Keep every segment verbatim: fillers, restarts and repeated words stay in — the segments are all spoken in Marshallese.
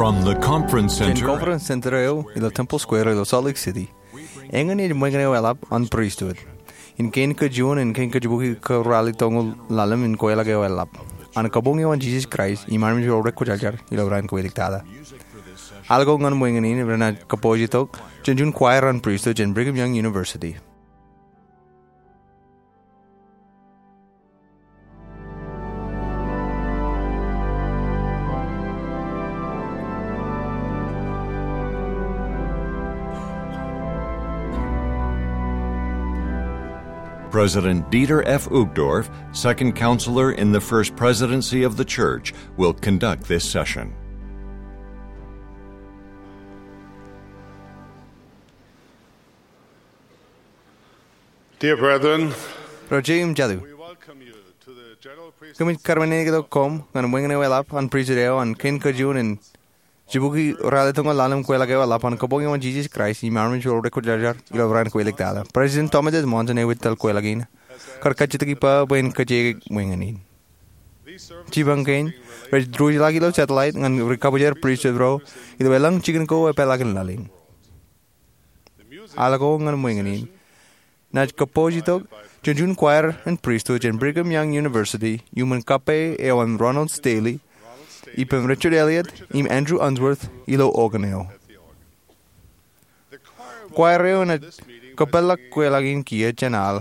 From the conference center, Conference Center eo ilo Temple Square ilo Salt Lake City, eñin ej ṃōñā eo eḷap an pristut in kein kajuon in kein kajjibukwi kōrālitoñoul ḷalem in kweilọk eo eḷap an Kabuñ eo an Jesus Christ im armej ro rekwōjarjar ilo raan kowālik tata. Al ko ñan ṃōñā in renaaj kōpooj itok jān juon choir an pristut jān Brigham Young University. President Dieter F. Uchtdorf, Second Counselor in the First Presidency of the Church, will conduct this session. Dear brethren, Ro jeiū im jatū, we welcome you to the general priesthood. Kōmij kōrā men in itok koṃ ñan ṃōñā eo eḷap an pristut eo an kein kajuon in jibukwi ralitōñoul ḷalem kweilọk eo eḷap an Kabuñ eo an Jesus Christ im armej ro rekwōjarjar ilo raan kowālik tata. President Thomas S. Monson eo ej tōl kweilọk in kar kajjitōk ippa bwe en kōjeañ ṃōñā in. Jipañ kein rej diwōjḷọk ilo satellite ñan ri kabwijer pristut ro ilo elōñ jikin ko epeḷaakin laḷ in. Al ko ñan ṃōñā in naaj kōpooj itok jān juon choir an pristut jān Brigham Young University iuṃwin kappei eo an Ronald Stanley, ippān Richard Elliott im Andrew Unsworth ilo organ eo. Choir eo enaaj kōpeḷḷọk kweilọk in kiiō jān al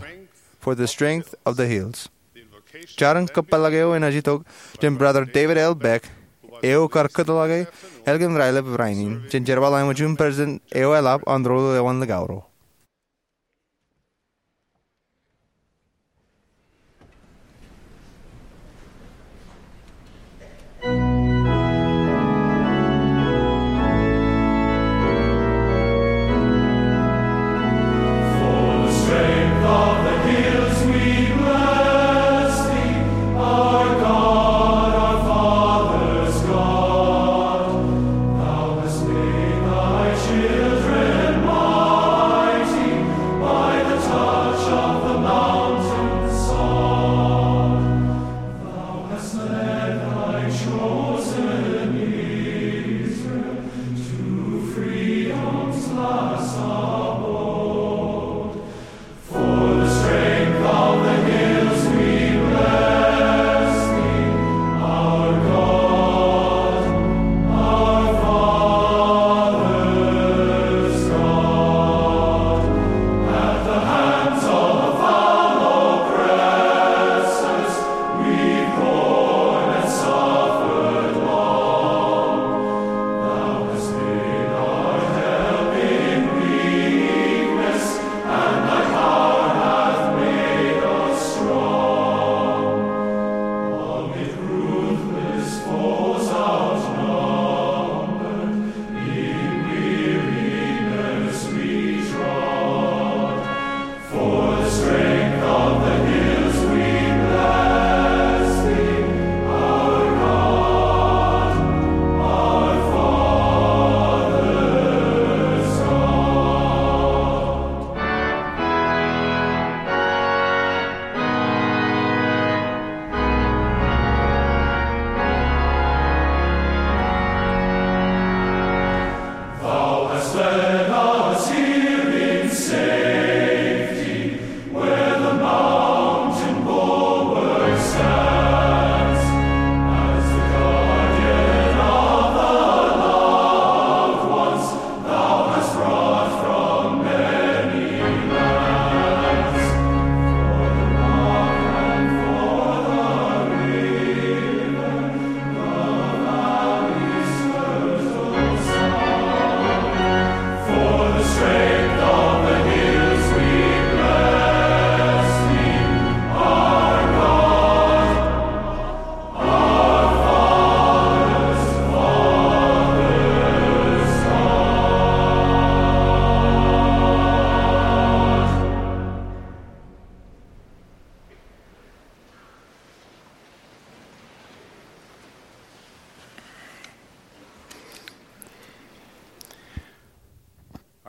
For the Strength of the Hills. Jarin kōpeḷḷọk eo enaaj itok jān Brother David L. Beck, eo kar kōtḷọke ālikin raelep rainin jān jerbal eo an juon president eo eḷap an Ro Lewōn Likao Ro.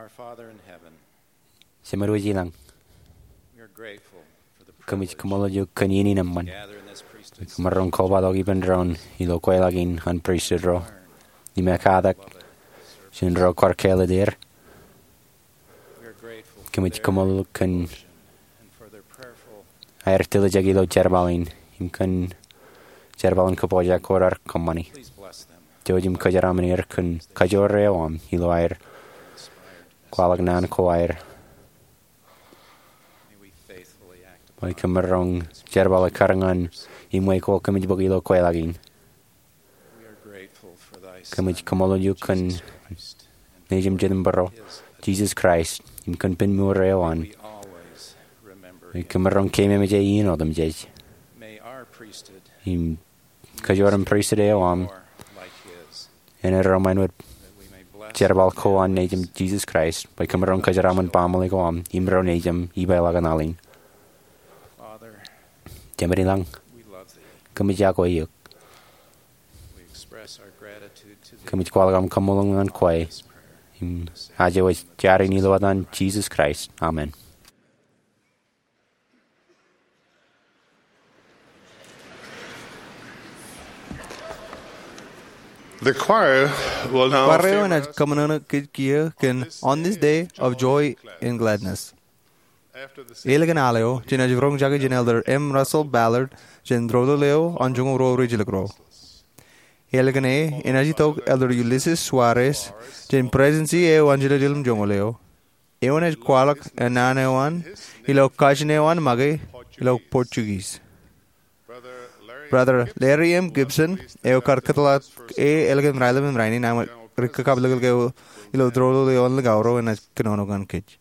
Our Father in heaven, Jemān wōj ilañ, we are grateful for the kōmij privilege kōṃṃool eok kōn iien in eṃṃan. Gather in this priesthood. Kōmij roñ kobatok ippān doon ilo kweilọk in an pristut ro. im ekatak jān ro kwaar kāālōt er. Kōmij kaṃṃoolol kōn aer tiljek ilo jerbal in im kōn jerbal in kōpooj ko raar kōṃṃani. Jouj im kōjeraṃṃan er kōn kajoor eo aṃ ilo aer kwaḷọk naan ko aer. Bwe kōm maroñ jerbal ekkar ñan im wōj ko kōmij bōk ilo kweilọk in. Kōmij kaṃṃoolol eok kōn Nejūṃ Jet im Bōro, Jisōs Kraist, im kōn pen mour eo an. Bwe kōm maroñ keememej e iien otemjej. Im kajoor in pristut eo aṃ en erom āinwōt jerbal ko an Nejūṃ Jisōs Kraist, bwe kōm maroñ kōjeraṃṃan baaṃle ko aṃ im ro nejūṃ ipeḷaakin al in. Jemān ilañ, kōmij yokwe eok. Kōmij kwaḷọk aṃ kaṃṃoolol ñan kwe. Im aje wōj jar in ilo etan Jisōs Kraist. Amen. The choir will now Kwareo enaaj kōṃṃane kōj kiiō kōn On This Day of Joy and Gladness. Ālikin al eo, jenaaj roñjake jān Elder M. Russell Ballard jān doulul eo an joñoul ruo rijjelōk ruo. Ālikin e, enaaj itok Elder Ulisses Soares jān Presidensi eo an Jiljilimjuonñoul eo. Eo enaaj kwaḷọk naan eo an ilo kajin eo an make ilo Portuguese. Brother Larry M. Gibson eo kar kōtḷọk e ālikin raelep im rainin, ak ri kakabliklik eo ilo doulul eo an likao ruo enaaj kōnono ñan kōj.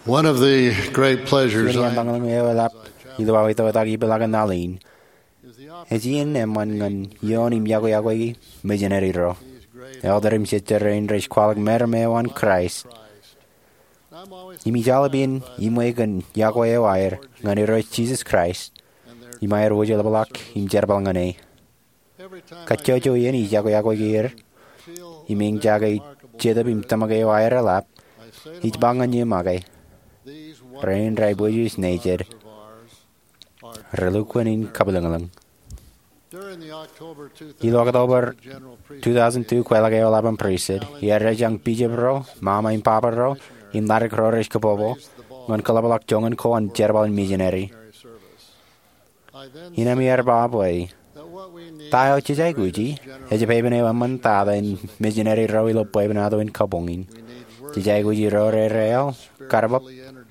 One of the great pleasures Iien eo eḷap ilo aō itoitak ipeḷaakin laḷ in ej iien eṃṃan ñan ioon im yokwe-yokwe mijineri ro, elder im sister rein rej kwaḷọk meram eo an Kraist. Im ij aolep iien iṃwe kōn yokwe eo aer ñan Irooj Jisōs Kraist im aer wōjḷapḷọk im jerbal ñan e. Kajjojo iien ij yokwe-yokwe er im eñjake Jetōb im tōmak eo aer eḷap, ij ba ñan eō make, rein rej bwijin nejid, relukkuun in kabwilōñlōñ. Ilo October two thousand two kweilọk eḷap an pristut, iar ej jañ bishop ro, mama im baba ro, im ḷaddik ro rej kōpopo ñan kōḷapḷọk joñan ko an jerbal in mijineri. Innem iar ba bwe ta eo jej aikuji ej pepen eo eṃṃantata in mijineri ro ilo bwebwenato in kabuñ in. Jej aikuji ro rerael, karbōb,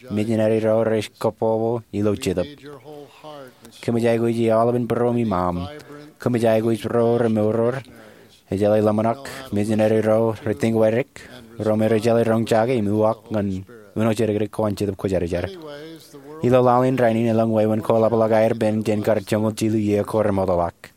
mijineri ro rej kōpopo ilo Jetōb. Kōmij aikuji aolepān būruōm im aṃ. Kōmij aikuj ro remour, ro rej jeḷā ḷōmṇak, mijineri ro rej tiñgweddik, ro me rej jeḷā roñjake im uwaak ñan uno jidikdik ko an Jetōb Kwōjarjar. Ilo laḷ in rainin elōñ wāween ko eḷapḷọk aer pen jān kar joñoul jilu iiō ko remootḷọk.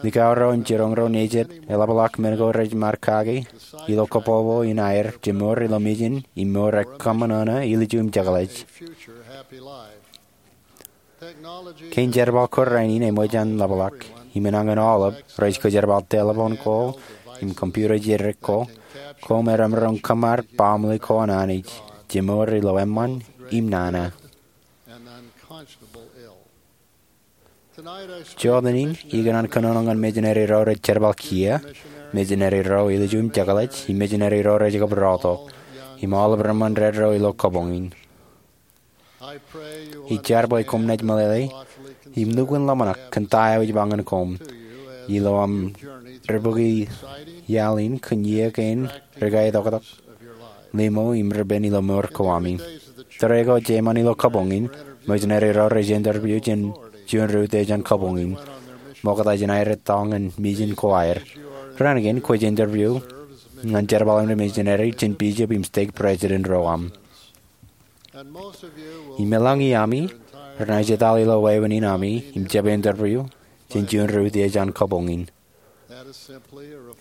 Likao ro im jiroñ ro nejid eḷapḷọk men ko rej mar kake ilo kōpopo in aer jemour ilo mijin im mour ekōṃṃan ṇa ilju im jekḷaj. Kein jerbal ko rainin eṃōj an ḷapḷọk im enañin aolep rej kōjerbal telephone ko im computer jidikdik ko, ko me remaroñ kōṃṃan baaṃle ko an Anij, jemour ilo eṃṃan im nana. Jota in ikōṇaan kōnono ñan mijineri ro rej jerbal kiiō, mijineri ro ilju im jekḷaj, im mijineri ro rej kab rọọltok, im aolep reṃṃan ro ilo kabuñ in. Ij jar bwe koṃ naaj meḷeḷe im lukkuun ḷōmṇak kōn ta eo ij ba ñan koṃ ilo aṃ ribukwi iaḷ in kōn iiō kein rikaitoktok, limo im ripen ilo mour ko ami. Tōre ko jeṃaan ilo kabuñ in, mijineri ro rej interview jān juon ri-utiej an kabuñ in, ṃokta jān aer etal ñan mijin ko aer. Raan kein kwōj interview ñan jerbal in ri-mijineri jān bishop im stake president ro aṃ. Im elōñ iami renaaj etal ilo wāween in ami im jab interview jān juon ri-utiej an kabuñ in.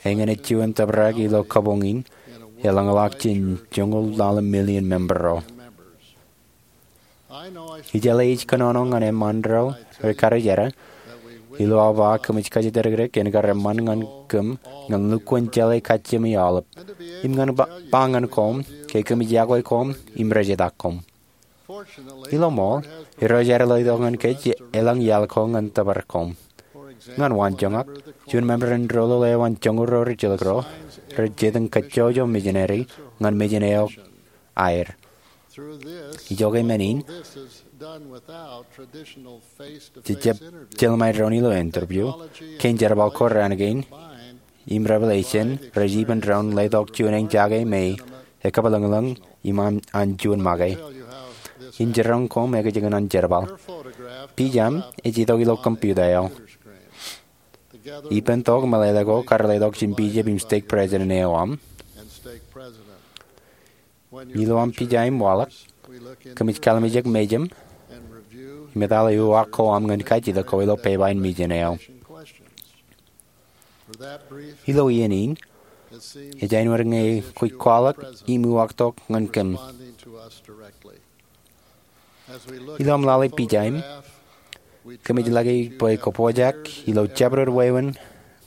Eñin ej juon tōprak ilo kabuñ in elōñḷọk jān joñoul ḷalem million member ro. Ij jeḷā ij kōnono ñan eṃṃaan ro rej karijerā ilo aō ba kōmij kajjitōk dikdik en kar eṃṃan ñan kōm ñan lukkuun jeḷā kajjiōmi aolep, im ñan ba, ba ñan koṃ ke kōmij yokwe koṃ im rejetak koṃ. Ilo ṃool, Irooj ear letok ñan kōj elōñ iaḷ ko ñan tōpar koṃ. Ñan waanjoñak, juon member in doulul eo an joñoul ro rijilōk ro rej jitōñ kajjojo mijineri ñan mijin eo aer. Ijoke men in, jejjab jelṃae doon ilo interview, kein jerbal ko raan kein im revelation rej ippān doon letok juon eñjake me ekabwilōñlōñ im an, an juon make. In jiroñ koṃ ekōjkan an jerbal. Pija eo ej itok ilo computer eo. Ippān tok meḷeḷe ko kar letok jān bishop im stake president eo aṃ. Ilo aṃ pija im waḷọk, kōmij kallimjek mejaṃ im etale uwaak ko aṃ ñan kajjitōk ko ilo pepa in mijin eo. Ilo iien in, ej āinwōt ñe kwōj kwaḷọk im uwaaktok ñan kōm. Ilo aṃ lale pija in, kōmij lale bwe kwō pojak ilo jabdewōt wāween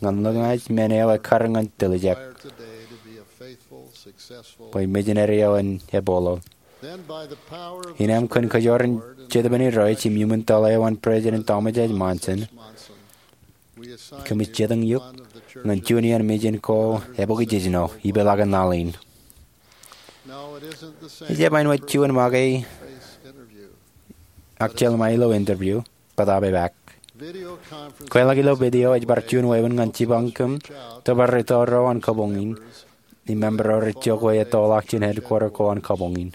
ñan lōñaaj men eo ekkar ñan tiljek bwe mijineri eo en epolo. Innem kōn kajoor in Jetōb in Irooj im iuṃwin tōl eo an President Thomas S. Monson, kōmij jitōñ eok ñan juon iien mijin ko ebōkjejno ipeḷaakin laḷ in. Ejjab āinwōt juon make ak jelṃae ilo interview, bōtaab epaak. Kweilọk ilo video ej bar juon wāween ñan jipañ kōm tōpar rūtto ro an kabuñ in im member ro rej jokwe ettoḷọk jān headquarter ko an kabuñ in.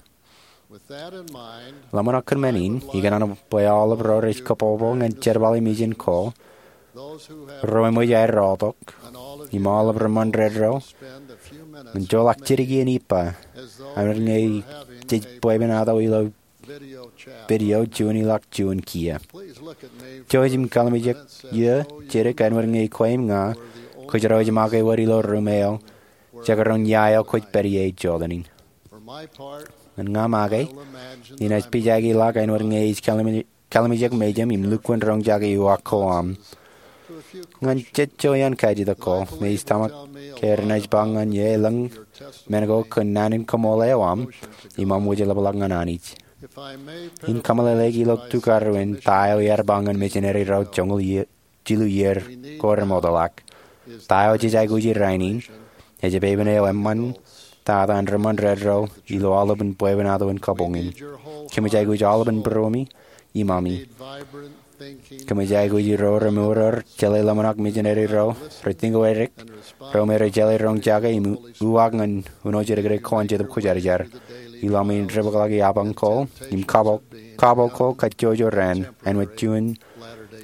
Ḷōmṇak kōn men in, ikōṇaan bwe aolep ro rej kōpopo ñan jerbal in mijin ko, ro eṃōj aer rọọltok, im aolep reṃṃan ro, ñan joḷọk jidik iien ippa, āinwōt ñe jej bwebwenato ilo video juon ilọk juon kiiō. Jouj im kallimjek iiō jidik āinwōt ñe kwe im ña kōjro ej make wōt ilo ruum eo jekdọọn ia eo kwōj pād ie ej jota in. Ñan ña make, inaaj pijaki ilọk āinwōt ñe ij kallimjek mejaṃ im lukkuun roñjake uwaak ko aṃ. Ñan jet iaan kajjitōk ko, me ij tōmak ke renaaj ba ñan ie elōñ men ko kōn naan in kaṃool eo aṃ im aṃ wōj ḷapḷọk ñan Anij. In kōmeḷeḷeik ilo tukaruwin ta eo iaar ba ñan mijineri ro joñoul jilu iiō ko remootḷọk. Ta eo jej aikuji rainin ej epepen eo eṃṃan tata an ri ṃōn ro ilo aolepān bwebwenato in kabuñ in. Kōmij aikuj aolepān būruemi im ami. Kōmij aikuj ro remour, jeḷā ḷōmṇak, mijineri ro rej tiñgō edik, ro me rej jeḷā roñjake im uwaak ñan uno jidikdik ko an Jetōb Kwōjarjar. Ilo ami in debōkḷọk iapañ ko im kapo ko kajjojo raan āinwōt juon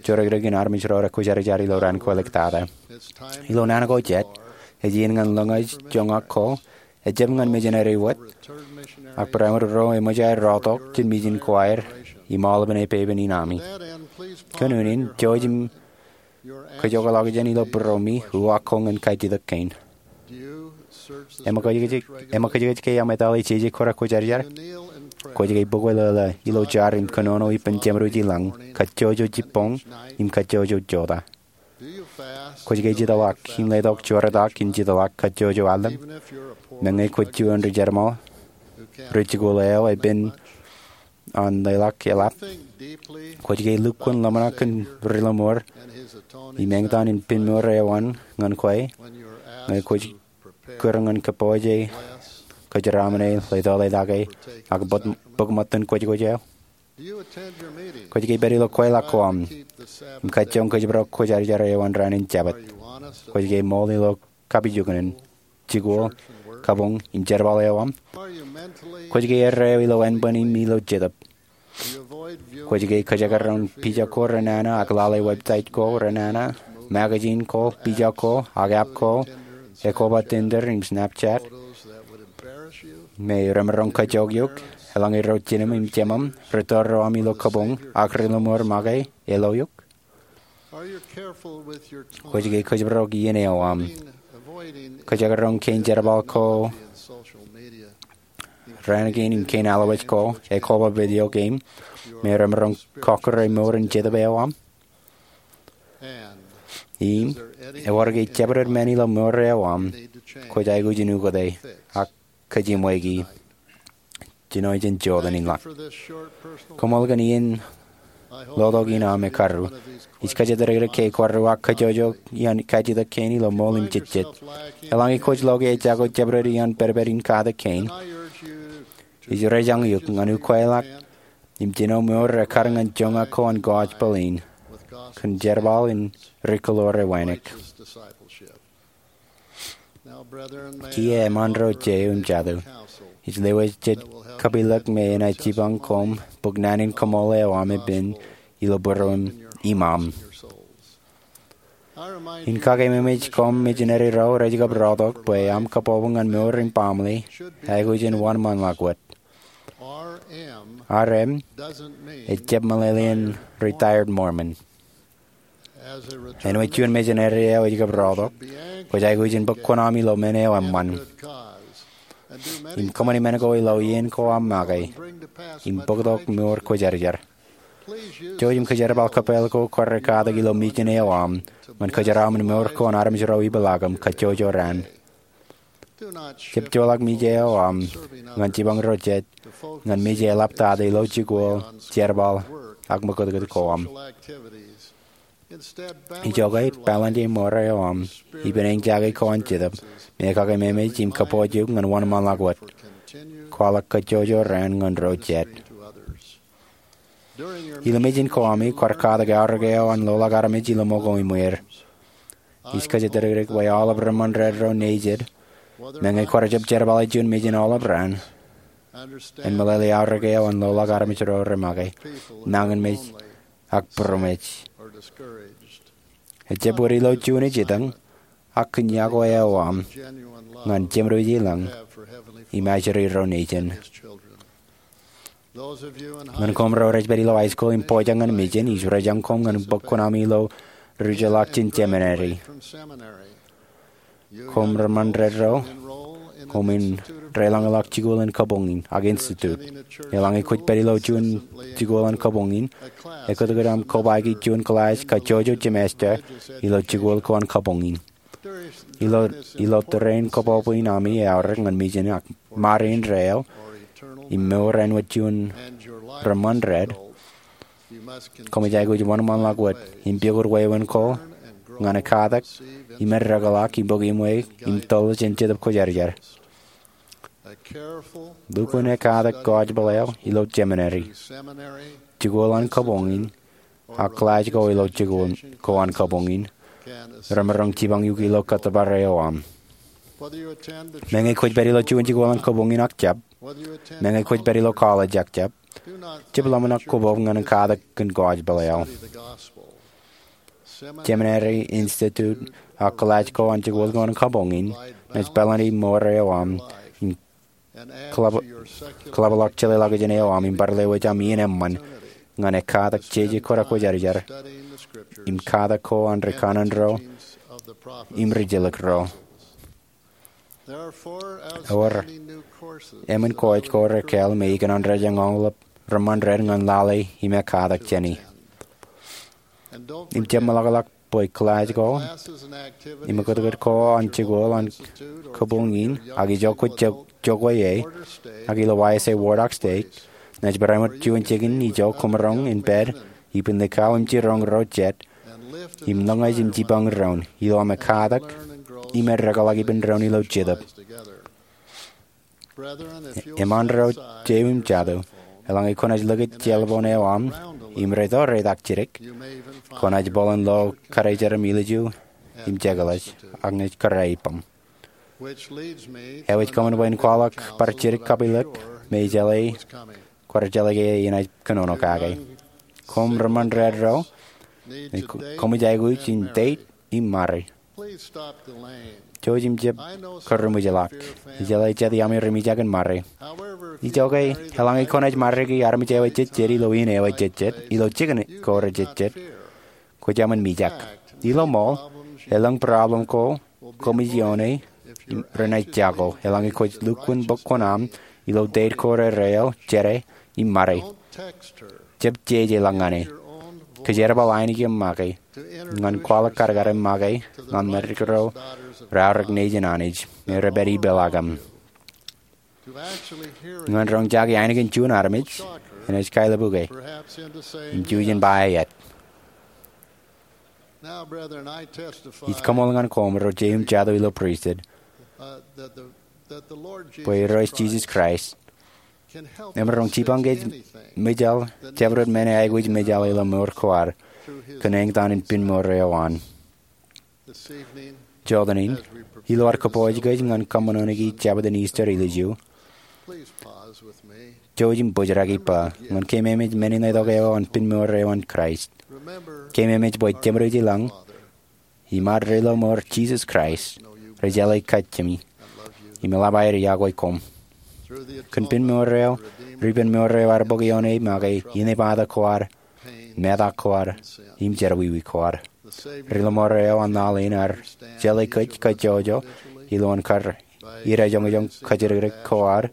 jodikdik in armej ro rekwōjarjar ilo raan kwōlōktata. Ilo naan ko jet, ej iien ñan lōñej joñak ko, ejjab ñan mijineri wōt, ak barāinwōt ro eṃōj aer rọọltok jān mijin ko aer im aolepān epepen in ami. Kōn unin, jouj im kōjokḷọk jān ilo būruemi uwaak ko ñan kajjitōk kein. Eṃōkajkōj ke eṃōj aṃ etale jeje ko rekwōjarjar? Kwōj ke bōk wōt ḷōḷā ilo jar im kōnono ippān jeṃdoji lañ, kajjojo jibboñ im kajjojo jota? Kwōj ke jitḷọk im letok jortak im jitḷọk kajjojo allōñ? Meñe kwōj juon ri jerbal ro jikuuḷ eo epen an leḷọk eḷap, kwōj ke lukkuun ḷōmṇak kōn ri-lọmọọr im eñtaan in pen mour eo an ñan kwe ñe kwōj kūr ñan kōpooje, kōjeraaṃṃane, leḷḷọke, ak bōk ṃōttan kwōjkwōj eo? Kwōj ke pād ilo kweilọk ko aṃ im kajjoñ kōjparok kwōjarjar eo an raan in Jabōt? Kwōj ke ṃool ilo kapijuknen, jikuuḷ, kabuñ im jerbal eo aṃ? Kwōj ke erreo ilo ānbwin im ilo jetōb? Kwōj ke kōjekdọọn pija ko renana ak lale website ko renana, magazine ko, pija ko, ak app ko ekoba Tinder im Snapchat, me remaroñ kajjojo eok eḷaññe ro jinem im jemaṃ, ri-tōl ro aṃ ilo kabuñ, ak ri-lọmọọr make ilo eok? Kwōj ke kōjparok iien eo aṃ, kōjekdọọn kein jerbal ko raan kein im kein allowaj ko, ekoba video game, me remaroñ kọkkure mour in jetōb eo aṃ? Im ewōr ke jabdewōt men ilo mour eo aṃ kwōj aikuj in ukōte ak kōjeṃweiki jino jān jota in ḷọk? Koṃṃool kōn iien lotok in aṃ ekkar. Ij kajjitōk ke kwaar uwaak kajjojo iaan kajjitōk kein ilo ṃool im jejjet. Eḷaññe kwōj lo ke ejako jabdewōt iaan pedped in katak kein, ij rejañ eok ñan ukweḷọk im jino mour ekkar ñan joñak ko an gospel in kōn jerbal in ri-kōḷoor eo wānōk. Kiiō eṃṃan ro jeiū im jatū, ij lewōj jet kapilōk me enaaj jipañ koṃ bōk naan in kaṃool eo aṃ epen ilo būruōṃ im aṃ. In kakememej koṃ, mijineri ro rej kab rọọltok bwe aṃ kabọbu ñan mour im baaṃle aikuj in wōnṃaanḷọk wōt. R M ejjab meḷeḷein retired Mormon. Āinwōt juon mijineri eo ej kab rọọltok, kwōj aikuj in bōk kuṇaaṃ ilo men eo eṃṃan im kōṃṃani men ko ilo iien ko aṃ make im bōktok mour kwōjarjar. Jouj im kōjerbal kōpeḷ ko kwaar katak ilo mijin eo aṃ ñan kōjeraaṃṃan mour ko an armej ro epeḷaakim kajjojo raan. Jab joḷọk mije eo aṃ ñan jipañ ro jet ñan mije eḷaptata ilo jikuuḷ, jerbal, ak ṃōkūtkūt ko aṃ. Ijoke, balance mour eo aṃ ippān eñjake ko an Jetōb me kakememej im kōpooj eok ñan wōnṃaanḷọk wōt. Kwaḷọk kajjojo raan ñan ro jet. Ilo mijin ko ami kwaar katak aorōk eo an loḷọk armej ilo ṃōko im wōr. Ij kōjatdikdik bwe aolep ri ṃōn ro nejid, meñe kwaar jab jerbale juon mijin aolep raan, en meḷeḷe aorōk eo an loḷọk armej ro remake, nañinmej, ak būroṃōj. Ejjab wōt ilo juon ej etaṃ, ak kōn yokwe eo aṃ ñan jeṃdoji lañ im ajri ro nejin. Ñan koṃ ro rej pād ilo high school im pojak ñan mission, ij ruwaak koṃ ñan bōk kuṇaṃ ilo ri-jeḷā jān seminary. Koṃ ri-mōnread ro, koṃwin deḷọñḷọk jikuuḷ in kabuñ in ak institute. Eḷaññe kwōj pād ilo juon jikuuḷ in kabuñ in, ekōtōkōt aṃ kobaiki juon kilaaj kajjojo semester ilo jikuuḷ ko an kabuñ in. Ilo, ilo tōre in kōbōbwe in ami eaorōk ñan mission ak ṃare indeeo im mour āinwōt juon ri-mōnread, koṃij aikuj wōnṃaanḷọk wōt im pukot wāween ko ñan ekkatak im eddekḷọk im bōk iṃwe im toḷ jān Jetōb Kwōjarjar. Lukkuun ekkatak gospel eo ilo seminary, jikuuḷ an kabuñ in, ak kilaaj ko ilo jikuuḷ ko an kabuñ in remaroñ jipañ eok ilo kōttōpar eo aṃ. Meñe kwōj pād ilo juon jikuuḷ an kabuñ in ak jab, meñe kwōj pād ilo college ak jab, jab ḷōmṇak kobōb ñan ekkatak kōn gospel eo. Seminary, institute, ak kilaaj ko an jikuuḷ ko an kabuñ in naaj pālōni mour eo aṃ im kōḷap-, kōḷapḷọk jeḷāḷọkjeṇ eo aṃ im bar lewōj aṃ iien eṃṃan ñan ekkatak jeje ko an Kwōjarjar im katak ko an ri kanaan ro im ri-jilkinro. Ewōr emān course ko rekāāl me ikōṇaan rej eñoñḷọk ri-mōnread ñan lale im ekkatak jāni. Im jab meḷọkḷọk bwe kilaaj ko im ekōtōkōt ko an jikuuḷ an kabuñ in ak ijo kwōj jokwe e, ak ilo Y S A ward ak stake, naaj bar āinwōt juon jikin ijo koṃ maroñ in pād ippān likao im jiroñ ro jet im lōñej im jipañ doon ilo aṃ ekkatak im eddekḷọk ippān doon ilo Jetōb. Eṃṃan ro, jeiū im jatū, eḷaññe kwōnaaj likūt cell phone eo aṃ im rej to reitak jidik, kwōnaaj bōlen lo karijer im ilju im jekḷaj ak ñe ej kōrā ippaṃ. Eo ej kōṃṃan bwe in kwaḷọk bar jidik kapilōk me ejjeḷọk, kwaar jeḷā ke enaaj kōnono kake. Koṃ ri-mōnread ro, koṃij aikuj in date im ṃare. Jouj im jab kōrūṃwij ḷọk. Ijeḷā jet iaami ri mijak in ṃare. Ijoke, eḷaññe kwōnaaj ṃariki armej eo ejejjet ilo iien eo ejejjet, ilo jikin ko rejejjet, kwōj eṃṃan mijak. Ilo ṃool, elōñ problem ko koṃij ioone renaaj jako eḷaññe kwōj lukkuun bōk kuṇaaṃ ilo date ko redeeo, jete, im ṃare. Jab jeje ḷọk ñan e. Kōjerbal ainikieṃ make ñan kwaḷọk kadkadem make ñan ri-mōnread ro reaorōk nejin Anij me rej pād ipeḷaakiṃ. Ñan roñ jake ainikien juon armej, enaaj kaelōpuke im jujen ba eet. Ij kaṃool ñan koṃ ro jeiū im jatū ilo pristut bwe Irooj Jisōs Kraist emaroñ jipañ kōj mejāl, jabdewōt men eo aikuj mejāl ilo mour ko ad kōn eñtaan in pinemour eo an. Jọteen in, ilo ad kōpooj kōj ñan kōṃṃan ṇe Jabōt in Easter ilju, jouj im bōjrak ippa ñan keememej men in letok eo an pinemour eo an Kraist. Keememej bwe Jemedwōj ilañ im ad re ilo mour Jisōs Kraist rej jeḷā kajjien mi im eḷap aer iọkwe koṃ. Kōn pinemour eo, ripen mour eo ear bōk ioone make inepata ko ad, metak ko ad, im jerọwiwi ko ad. Ri-lọmọọr eo an laḷ in ear jeḷā kōj kajjojo ilowaan kar idajoñjoñ kōjatdikdik ko ad,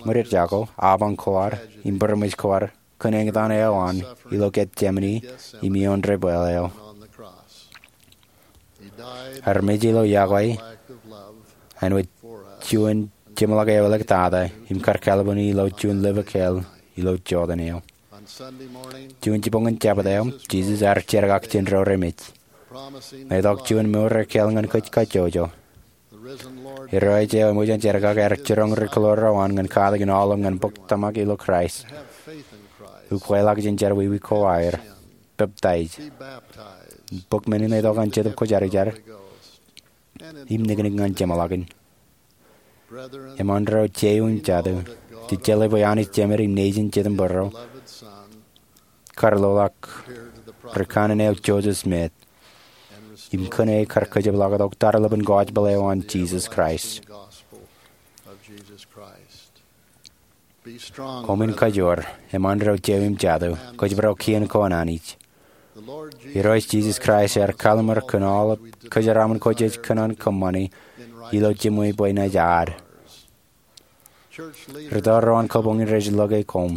ṃweiuk jako, apañ ko ad, im būroṃōj ko ad kōn eñtaan eo an ilo Getsemane im ioon debwāāl eo. Ear mej ilo iọkwe āinwōt juon jeṃḷọk eo eḷak tata im kar kālboni ilo juon lōb ekāāl ilo Jordan eo. Juon jibboñōn Jabōt eo, Jisōs ear jerkak jān ro remej, letok juon mour ekāāl ñan kōj kajjojo. Irooj eo eṃōj an jerkak ear jiroñ ri-kilōr eo an ñan katakin aolep ñan bōk tōmak ilo Kraist, ukweḷọk jān jerọwiwi ko aer, peptaij, bōk men in letok an Jetōb Kwōjarjar, im niknik ñan jeṃḷọkin. Eṃṃan ro jeiū im jatū, jej jeḷā bwe Anij Jemed im Nejin Jetōnbōro karlọk ri kanaan eo Joseph Smith im kōn e kar kōjepḷọk tok tarlepen gospel eo an Jisōs Kraist. Koṃwin kajoor, eṃṃan ro jeiū im jatū, kōjparok kien ko an Anij. Irooj Jisōs Kraist ear kalliṃur kōn aolep kōjeraaṃṃan ko jej kōṇaan kōṃṃani ilo jiṃwe bwe enaaj ad. Rūtto ro an kabuñ in rej lōke koṃ.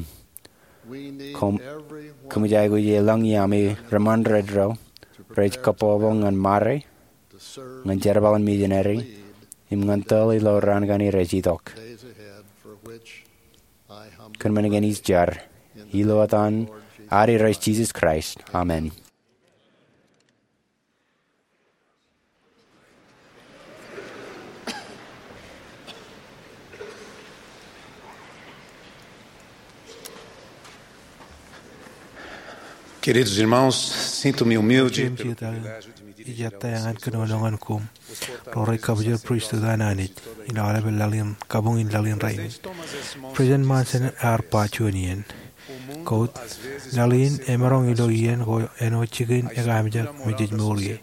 Koṃ, kōmij aikuj elōñ iaami reṃṃan redro rej kōbōbōḷ ñan ṃare, ñan jerbal in misineri, im ñan tōl ilo raan kaṇe rej itok. Kōn men kein ij jar, ilo etan an Irooj Jisōs Kraist, amen. Queridos irmãos, sinto-me humilde pelo privilégio de me dirigir ao presbítero. Ij ettā ñan kōnono ñan koṃ ro rej kabwilōñ pristut an Anij ilo aolepān laḷ in, kabuñ in laḷ in rainin. President Monson ear ba juon iien, quote, "Laḷ in emaroñ ilo iien ko āinwōt jikin ekaamijak me jej mour ie.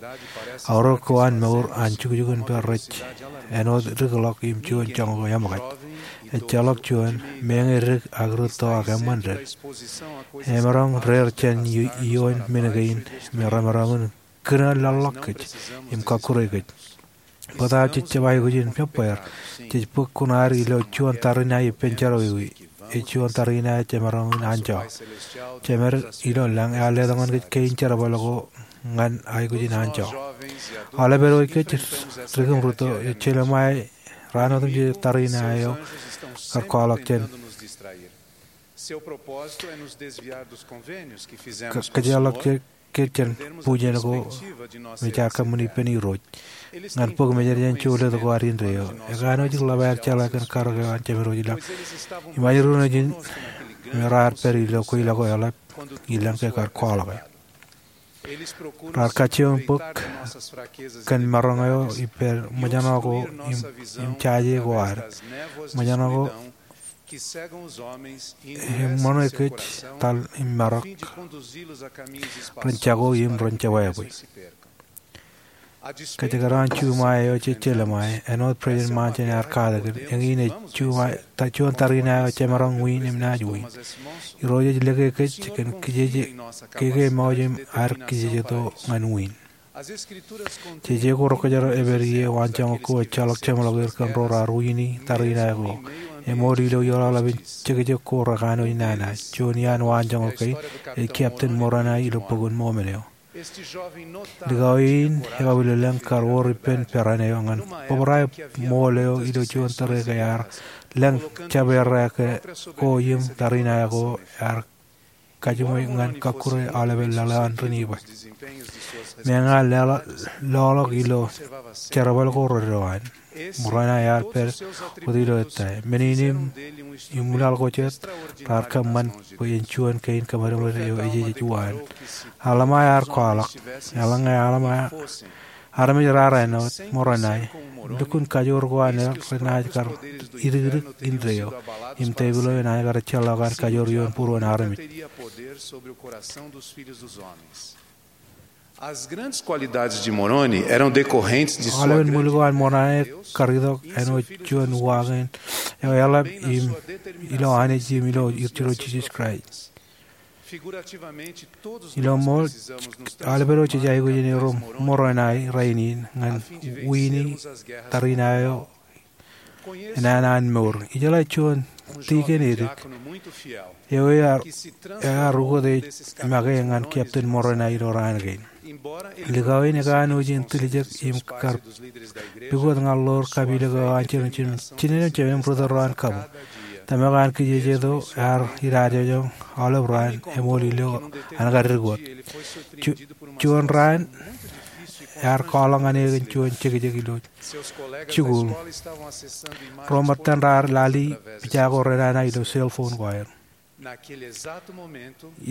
Aorōk ko an mour an jukjukinpād rej āinwōt dikḷọk im juon joñak ko eṃōkaj. Ejjeḷọk juon, meñe dik ak rūtto ak eṃṃan ded. Emaroñ deer jān i-, ioon men kein me remaroñ in kūnooj laḷḷọk kōj im kọkkure kōj. Bōtaab jej jab aikuj in peppweer, jej bōk kuṇaad ilo juon tariṇae ippān jerọwiwi, ej juon tariṇae jemaroñ in anjọ. Jemed ilo lañ ear letok ñan kōj kein jerbal ko ñan aikuj in anjọ. Aolepād wōj kōj dik im rūtto, ej jelṃae raan otemjej tariṇae eo kar kwaḷọk jān. Ka-, kōjeḷọk je kōj jān bujen ko me jaar kōṃṃani ippān Irooj ñan bōk mejān jān jolōt ko ad indeeo. Ekanooj ḷap aer jeḷā kōn karōk eo an Jemed wōj ḷọk im ajri ro nejin me raar pād ilo kweilọk ko eḷap ilañ ke kar kwaḷọke. Raar kajjioñ bōk kōn maroñ eo ippān ṃōjṇọ ko im, im jaje ko ad. Ṃōjṇọ ko eṃṃan kōj tal im marok ren jako im ren jebwābwe. Kōjekdọọn juṃae eo jej jelṃae, āinwōt President Monson ear katakin, eñin ej juṃae, ta-, juon tariṇae eo jemaroñ wiin im naaj wiin. Irooj ej lōke kōj kōn kijeje, keke mọọj im ad kijejeto ñan wiin. Jeje ko Rūkōjaro epād ie waanjoñak ko ejjeḷọk jeṃḷọk er kōn ro raar wiini tariṇae ko. Eṃool ilo iọlaḷap in jekjek ko rekanooj nana. Juon iaan waanjoñak kein ej Captain Moroni ilo Bok in Mọmon eo. Likao in ekabwilōñlōñ kar wōr ippān peran eo ñan bōbrae ṃool eo ilo juon tōre ke ear lōñ jab errā ko im tariṇae ko ear kajiṃwe ñan kọkkure aolepān laḷ eo an Niniba. Meñe ear lọḷọk ilo jerbal ko reddo an, Moroni ear pād wōt ilo ettā. Men in im, im laḷ ko jet raar kōṃṃan bwe en juon kein kōmālōtlōt eo ejejej waan. Alma ear kwaḷọk, eḷaññe Alma armej raar āinwōt Moroni, lukkuun kajoor ko an eḷ renaaj kar idikdik indeeo, im tepil eo enaaj kar ejjeḷọk an kajoor ioon būruon armej. As grandes qualidades de Moroni eram decorrentes de sua grande. Aolepān ṃwiin ko an Moroni kar itok āinwōt juon uwaak in eo eḷap im ilo Anij im ilo Irooj Jisōs Kraist. Ilo ṃool, aolepād wōj jej aikuj in erom Moroni rainin ñan wiini tariṇae eo enana an mour. Ijeḷā juon tikōn edik eo ear, ear ukōt ej make ñan Captain Moroni ilo raan kein. Likao in ekanooj in tiljek im kar pukot ñan ḷoor kapilōk eo an jinen, jinen im jemem rūtto ro an kabuñ. Tōmak an kijejeto ear idajoñoñ aolep raan eṃool ilo an kar dik wōt. Ju-, juon raan ear kwaḷọk ñan e kōn juon jekjek ilo jikuuḷ. Ro ṃōttan raar lale pija ko renana ilo cell phone ko aer.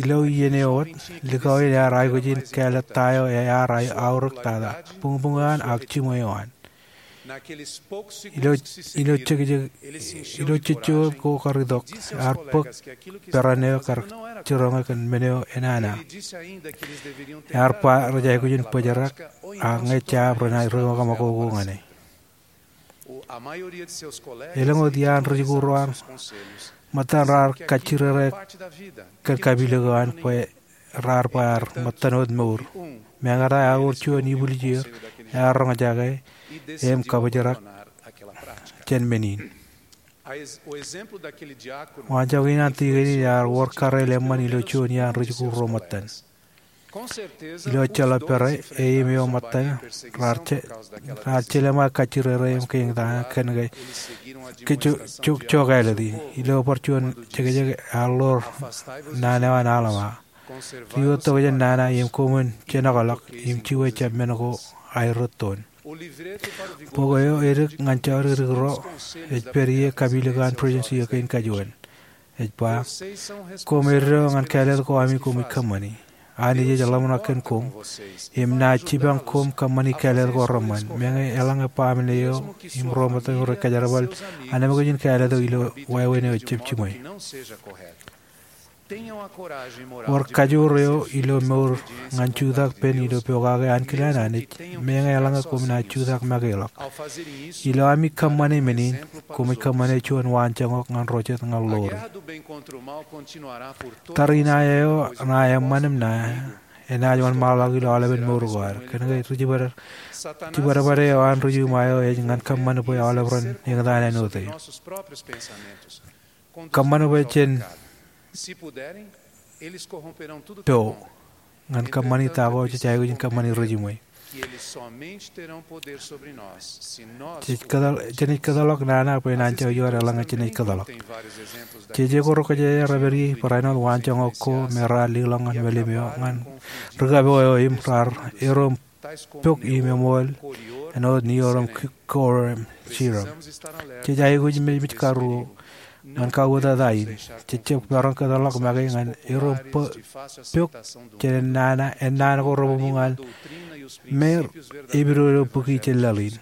Ilo iien eo wōt, likao in ear aikuj in kāālōt ta eo ear aorōk tata, buñbuñ eo an ak jiṃwe eo an. Ilo, ilo jekjek, ilo jejjo ko kar itok, ear bōk peran eo kar jiroñe kōn men eo enana. Ear ba rej aikuj in bōjrak, ak ñe jab renaaj ri ṃōk ṃōko ko ñan e. Elōñ wōt iaan ri-jikuuḷ ro an ṃōttan raar kajjirere kōn kapilōk eo an bwe raar bar ṃōttan wōt mour. Meñe ear wōr juon ibwiljir ear roñjake im kabōjrak jān men in. Waanjoñak in an tikōn in ear wōr kareel eṃṃan ilo juon iaan ri-jikuuḷ ro ṃōttan. Ilo ejjeḷọk pere, e im eo ṃōttan raar je-, raar jelōṃa kajjirere im kein etaṇ kōn ke, ke jo-, jo-, jokālōt in. Ilo bar juon jekjek ear ḷoor nana eo an Alma. Ri-itok jān nana im koṃwin jenokḷọk im juwe jab men ko aerōttoon. Bok eo edik ñan jodikdik ro ej pād ie kapilōk an Presidensi eo kein kajuon. Ej ba, koṃ eddo ñan kāālōt ko ami koṃij kōṃṃani. Anij ej ḷōmṇak kōn koṃ im naaj jipañ koṃ kōṃṃani kāālōt ko reṃṃan. Meñe eḷaññe baaṃle eo im ro ṃōttan rej kōjerbal, anemkwōj in kāālōt eo ilo wāween eo ejjab jiṃwe. Wōr kajoor eo ilo mour ñan jutak pen ilo pokake ankilaan Anij, meñe eḷaññe koṃ naaj jutak make ḷọk. Ilo ami kōṃṃane men in, koṃij kōṃṃane juon waanjoñak ñan ro jet ñan ḷoori. Tariṇae eo ṇa eṃṃan im ṇa, enaaj wōnṃaanḷọk ilo aolepen mour ko ad. Kōnke ri-jibadbad, jibadbad eo an ri-iṃō eo ej ñan kōṃṃan bwe aolep ren eñtaan āinwōt e. Kōṃṃan bwe jen po ñan kōṃṃani ta ko jej aikuj in kōṃṃani ri-jiṃwe. Jej kōtḷọk, jenaaj kōtḷọk nana bwe en anjọ ioon eḷaññe jenaaj kōtḷọk. Jeje ko rekwōjarjar rej pād ie barāinwōt waanjoñak ko me raar leḷọk ñan melim eo ñan ri-kapo eo im raar erom pok im eṃool āinwōt niorom ki-, kor im sirom. Jej aikuj in mejmej karuo ñan kauwōtata in. Jej jab maroñ kōtḷọk make ñan erom po-, pok jān ennaan, ennaan ko rebuñbuñ an me epidodo bōki jān laḷ in.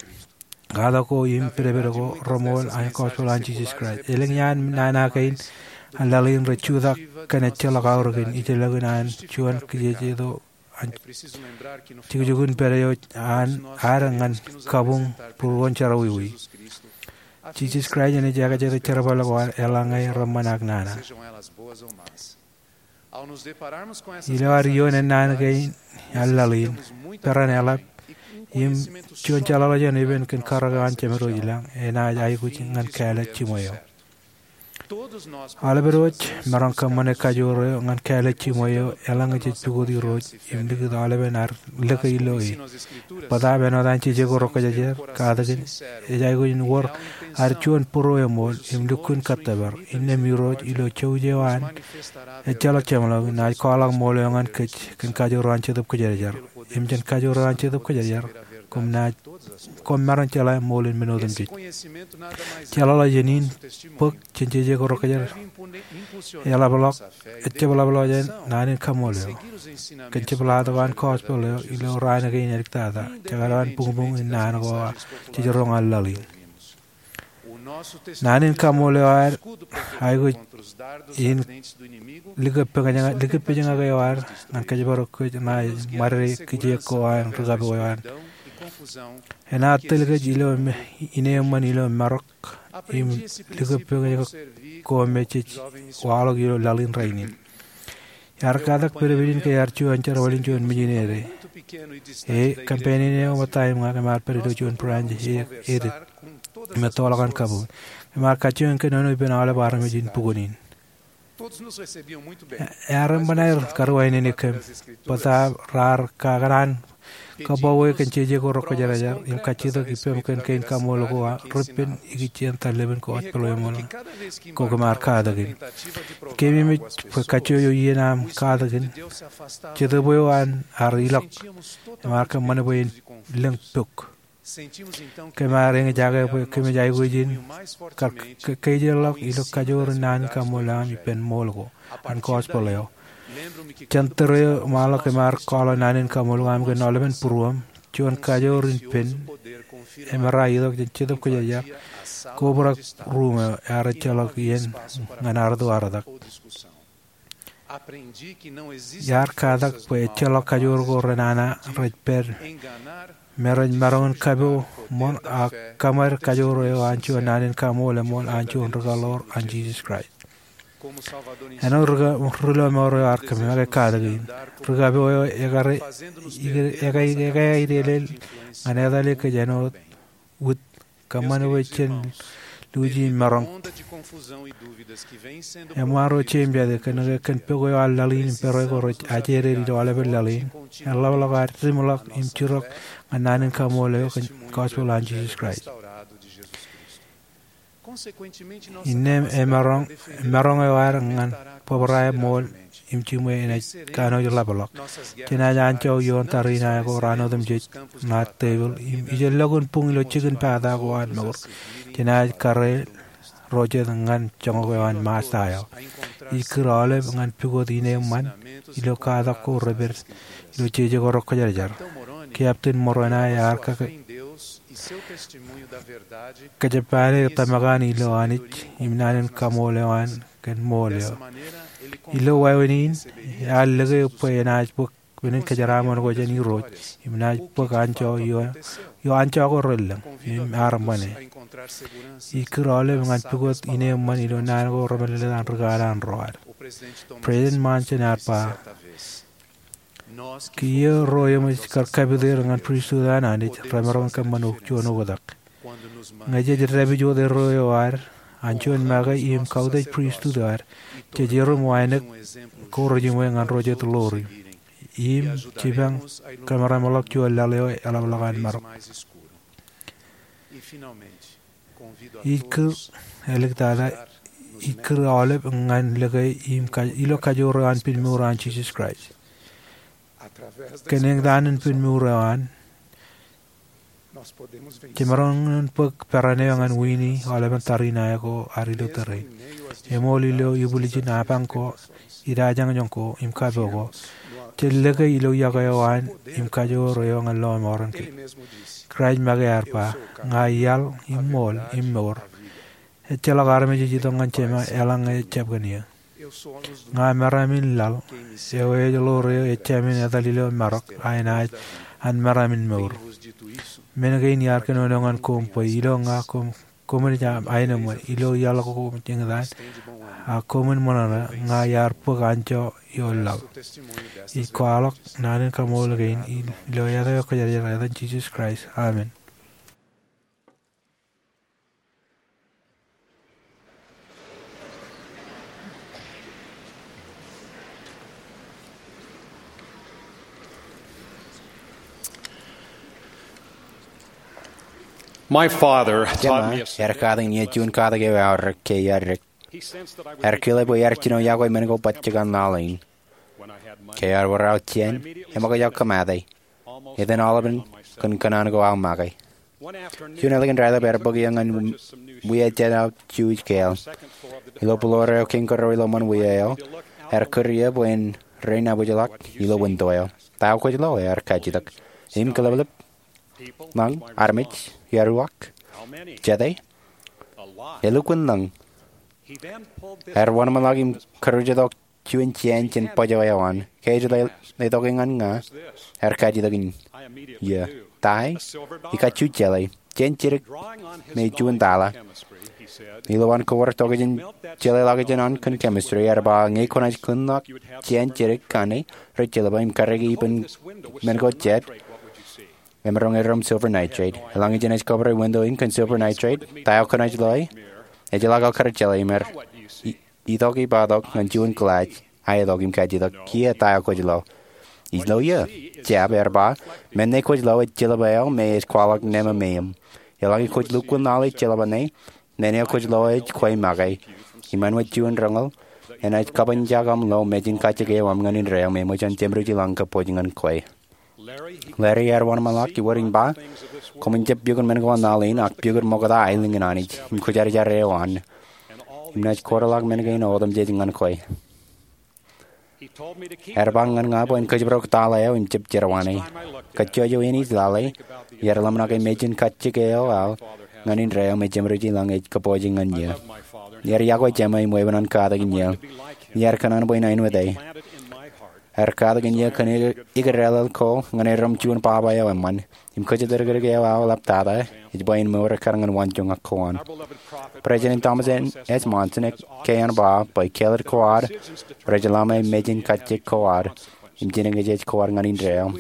Katak ko im pedped ko reṃool an gospel an Jisōs Kraist. Elōñ iaan nana kein an laḷ in rej jutak kōn ejjeḷọk aorōkin ijellọkin an juon kijejeto an jukjukun pād eo an ad ñan kabuñ būruon jerọwiwi. Jisōs Kraist enaaj ekajet ri-jerbal ko ad eḷaññe reṃṃan ak nana. Ilo ad ioon ennaan kein an laḷ in, peran eḷap, im juon jeḷāḷọkjeṇ epen kōn karōk eo an Jemedwōj ilañ, enaaj aikuj ñan kāālōt jiṃwe eo. Aolepād wōj maroñ kōṃṃane kajoor eo ñan kāālōt jiṃwe eo eḷaññe jej pukot Irooj im likūt aolepen ad lōke ilo e. Bōtaab āinwōt an jeje ko rekwōjarjar, katakin ej aikuj in wōr ad juon būruo eṃool im lukkuun kōttōpar. Innām Irooj ilo jouj eo an ejjeḷọk jeṃḷọkin naaj kwaḷọk ṃool eo ñan kōj kōn kajoor eo an Jetōb Kwōjarjar. Im jān kajoor eo an Jetōb Kwōjarjar, koṃ naaj, koṃ maroñ jeḷā ṃool in men otemjej. Jeḷāḷọkjeṇ in bōk jān jeje ko rekwōjarjar eḷapḷọk, ejjab ḷapḷọk jān naan in kaṃṃoolol eo. Kōn jepḷaak tok an gospel eo ilo raan kein āliktata, jekdọọn buñbuñ in naan ko jej roñ an laḷ in. Naan in kaṃṃoolol eo ad aikuj in likūtpejñak, likūtpejñak eo ad ñan kōjparok kōj ṇae ṃadede kijeek ko an ri-kapo eo an. Enaaj tōl kōj ilo me, ineeṃṃan ilo marok im likūtpejñak ko me jej waḷọk ilo laḷ in rainin. Iar katak pedped in ke iar juon jerbal in juon mijinede. E, kōmpenien eo ṃōttaṃ im ña kōm ar pād ilo juon branch e, edik. Im ettoḷọk an kabuñ. Kōm ar kajjioñ kōnono ippān aolep armej in bukwōn in. Ear eṃṃan aer karuwainene kōm. Bōtaab raar kakōṇaan kōbọwe kōn jeje ko rekwōjarjar im kajjitōk ippaṃ kōn kein kaṃṃoolol ko ri-ippān ikijjien tarlepin gospel eṃṃan ko kōm ar katakin. Keememej bwe kajjojo iien aṃ katakin, Jetōb eo an ear ilọk im ear kōṃṃan bwe en lōñ pok. Kōm ar eñjake bwe kōmij aikuj in kar ke-, ke-, kejeḷọk ilo kajoor in naan in kaṃṃoolol aṃ ippān ṃool ko an gospel eo. Jān tōre eo im aḷ kōm ar kwaḷọk naan in kaṃṃoolol aṃ kōn aolepen būruōṃ, juon kajoor in pen, im errā itok jān Jetōb Kwōjarjar, kobrak ruuṃ eo ear ejjeḷọk iien ñan arūtto artak. Iar katak bwe ejjeḷọk kajoor ko renana rej pād me rej maroñ in kapo ṃōn ak kōṃad kajoor eo an juon naan in kaṃṃoolol eṃṃool an juon rūkaḷoor an Jisōs Kraist. Āinwōt ri, ri lọmọọr eo ar kōm make katak in, ri kapo eo ekar, ekar, ekar, ekar edeḷọñ ñan etal kōj āinwōt wūd kōṃṃan bwe jen luuji im maroñ. Eṃṃaan ro jeiū im jatū, kōnke kōn pok eo an laḷ in im pere ko rej ajeded ilo aolepen laḷ in, eḷapḷọk ad diṃḷọk im jirok ñan naan in kaṃṃoolol eo kōn gospel an Jisōs Kraist. Innām emaroñ, maroñ eo ad ñan bōbrae ṃool im jiṃwe enaaj kanooj ḷapḷọk. Jenaaj anjọ ioon tariṇae ko raan otemjej ṇa tepil im ijellọkun buñ ilo jikin pata ko an mour. Jenaaj karreel ro jet ñan joñak eo an Mājta eo. Ij kūr aolep ñan pukot ineeṃṃan ilo katak ko rej pād ilo jeje ko rej kōjerajer. Captain Moroni ear kōjeppaane tōmak an ilo Anij im naan in kaṃṃoolol eo an kōn ṃool eo. Ilo wāween in, ear lōke bwe enaaj bōk men in kōjeraaṃṃan ko jān Irooj im naaj bōk anjọ io, io anjọ ko relōñ im ear ṃane. Ij kūr aolep ñan pukot ineeṃṃan ilo naan ko remālōtlōt an ri kanaan ro ad. President Monson ear ba, kiiō ro eṃōj kar kapit er ñan pristut an Anij remaroñ kōṃṃan juon oktak. Ñe jej dāpij wōt erreo eo ad an juon make im kautiej pristut eo ad, jej erom wānōk ko rejiṃwe ñan ro jet ḷoor im jipañ kōmramḷọk juon laḷ eo eḷapḷọk an marok. Ij kūr, āliktata, ij kūr aolep ñan lōke im ka, ilo kajoor eo an pinmour an Jisōs Kraist. Kōn eñtaan in pinmour eo an, jemaroñ in bōk peran eo ñan wini aolepen tariṇae ko ad ilo tōre. Eṃool ilo ibwiljin apañ ko, idajoñoñ ko, im kapo ko, jej lōke ilo iọkwe eo an im kajoor eo ñan lọmọọren kōj. Kraist make ear ba, ña iaḷ im ṃool im mour. Ejjeḷọk armej ej itok ñan Jema eḷaññe ejjab kōn eō. Ña meram in laḷ, eo ej ḷoor eo ejāmin etal ilo marok, a enaaj an meram in mour. Men kein iar kōnono ñan koṃ bwe ilo ña koṃ, koṃij aenōṃṃan, ilo iaḷ ko eñtaan, a koṃwin ṃōṇōṇō, ña iar bōk anjọ ioon laḷ. Ij kwaḷọk naan in kaṃṃoolol kein ilo etaṃ eo kwōjarjar, etan Jisōs Kraist. Amen. My father taught me a, ear katakin eō juon katak eo aorōk ke iar dik. Ear kile bwe iar jino yokwe men ko bajjek an laḷ in. Ke ear wōr aō jān, eṃōkaj aō kōmate. Etan aolepen kōn kōṇaan ko aō make. Juon ālikin raelep ear bōk eō ñan wiajet aō juuj kāāl. Ilo būḷoor eo kein kōrā ilo ṃōn wia eo, ear kūr eō bwe en rein abwejḷọk ilo winto eo. Ta eo kwōj lo? Ear kajjitōk. Im kōḷapḷap, lañ, armej, iaruak, jete? Elukkuun lañ. Ear wōnṃaanḷọk im kūrjitōk juon jāān jān bōjwōj eo an. Ke ej letok eō ñan ña? Ear kajjitōk in eō. Ta e? Ij kajju jeḷā. Jān jidik me juon taḷa. Ilo an kōwōr tokjān jeḷāḷọkjeṇ an kōn chemistry, ear ba ñe kwōnaaj kūnḷọk jān jidik kaṇe rej jelba im karōke ippān men ko jab, emaroñ erom silver nitrate. Eḷaññe jenaaj kōbōre winto in kōn silver nitrate, ta eo kwōnaaj loe? Ejjeḷọk aō kar jeḷā im ear i- itok ippātok ñan juon glass, a etok im kajjitōk. Kiiō ta eo kwōj lo? Ij lo eō. Jab, ear ba, men ṇe kwōj lo ej jelba eo me ej kwaḷọk neme meam. Eḷaññe kwōj lukkuun laḷ ej jelba ṇe, men eo kwōj lo ej kwe make. Im āinwōt juon roñoul, enaaj kapanjak aṃ lo mejān kajjik eo aṃ ñan indeeo me eṃōj an jeṃrijeḷañ kōpooj ñan kwe. Larry ear wōnṃaanḷọk iwōr im ba, koṃwin jab piukun men ko an laḷ in, ak piukun ṃokta aelōñ in Anij im kwōjarjar eo an, im naaj koodeḷọk men kein otemjej ñan kwe. Ear ba ñan ña bwe en kōjparok taḷa eo im jab jerwāne. Kajjojo in ij lale, iar ḷōmṇak ke mejān kajjik eo aō ñan indeeo me jeṃrijeḷañ ej kōpooj ñan eō. Iar yokwe Jema im weeppān an katakin eō. Iar kōṇaan bwe en āinwōt e. Aer katak in iiō kōn ikōrālel ko ñan erom juon baba eo eṃṃan im kōjatdikdik eo aō eḷaptata ej bwe en mour ekkar ñan waanjoñak ko an. President Thomas S. Monson ke ean ba bwe kāālōt ko ad rej lọmọọr mejān kajjik ko ad im jinōkjeej ko ad ñan indeeo.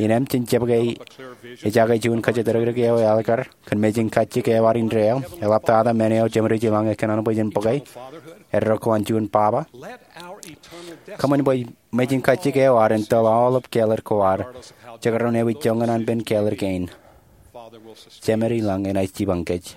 Innām jen jab ke ejake juon kōjatdikdik eo ālikkar kōn mejān kajjik eo ad indeeo eḷaptata men eo jemed ej ilañ ekōṇaan bwe jen bōke eddo ko an juon baba? Kōṃṃan bwe mejān kajjik eo ad en tōl aolep kāālōt ko ad, jekdọọn ewi joñan an pen kāālōt kein. Jemed ilañ enaaj jipañ kōj.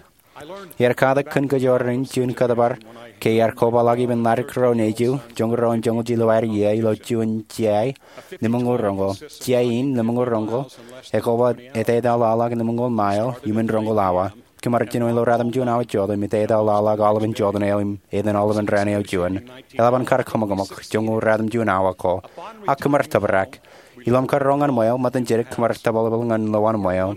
Iar katak kōn kōj ro rein juon kōtōpar ke iar kobaḷọk ippān ḷadik ro nejū joñoul ruo joñoul jilu aer iiō ilo juon jiai limōñoul roñoul. Jiai in limōñoul roñoul ekoba etetal ḷaḷḷọk limōñoul mail iuṃwin roñoul awa. Kōm ar jino ilo ratimjuon awa jota im etetal ḷaḷḷọk aolepen jota eo im etan aolepen raan eo juon. Eḷap an kar kōṃakōṃak joñoul ratimjuon awa ko. Ak kōm ar tōprak. Ilo am kar ro ñan ṃweo, ṃōttan jidik kōm ar tōbalbal ñan lowaan ṃweo.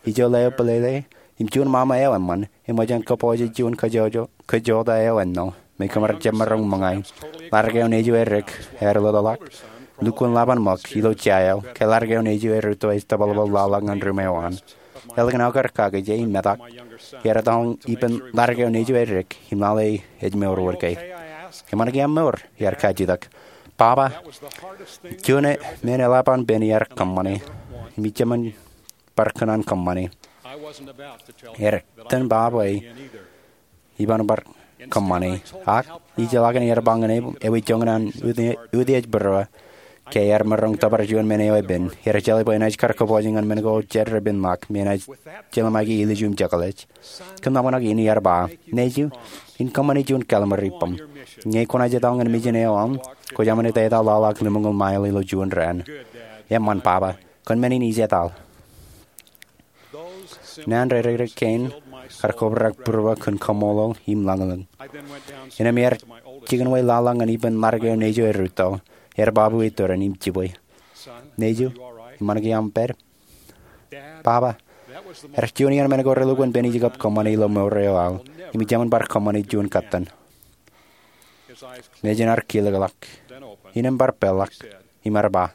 Ijo leo bōlele im juon ṃaṃa eo eṃṃan eṃōj an kōpooje juon kōjota eo ennō me kōm ar jab maroñ ṃōñā. Ḷadik eo nejū erik ear lōtḷọk. Lukkuun ḷap an ṃōk ilo jiai eo ke ḷadik eo nejū erūtto ej tōbalbal ḷaḷḷọk ñan ruṃweo an. Ālikin aō kar kakije im metak, iar etal ippān ḷadik eo nejū erik im lale ej mour wōt ke. Eṃṃan ke aṃ mour? Iar kajjitōk. Baba, juon men eḷap an pen iar kōṃṃane im ij jab bar kōṇaan kōṃṃane. Etan ba bwe iban bar kōṃṃane. Ak ij jeḷā ke iar ba ñan e ewi joñan an utiej būruō ke iar maroñ tōpar juon men eo epen. Iar jeḷā bwe enaaj kar kōpooje ñan men ko jet repen ḷọk me enaaj jelṃaiki ilju im jekḷaj. Kōn ḷōmṇak in iar ba, nejū, in kōṃṃane juon kallim̧ur ippaṃ. Ñe kwōnaaj etal ñan mejān eo aṃ, kwōj aṃ etetal ḷaḷḷọk limōñoul mail ilo juon raan. Eṃṃan baba, kōn men in ij etal. Naan ro dik kein kar kobrak būruō kōn kaṃṃoolol im lañlōñ. Innām iar jikin wōj ḷaḷḷọk ñan ippān ḷadik eo nejū erūtto, ear baabu iturin im jibwe. Nejū, eṃṃan ke aṃ pād? Baba, ear juon iaan men ko relukkuun pen ij kab kōṃṃane ilo mour eo aō, im ij jab bar kōṃṃane juon kōttan. Nejin ear kilōkḷọk. Innām bar peḷḷọk im ear ba,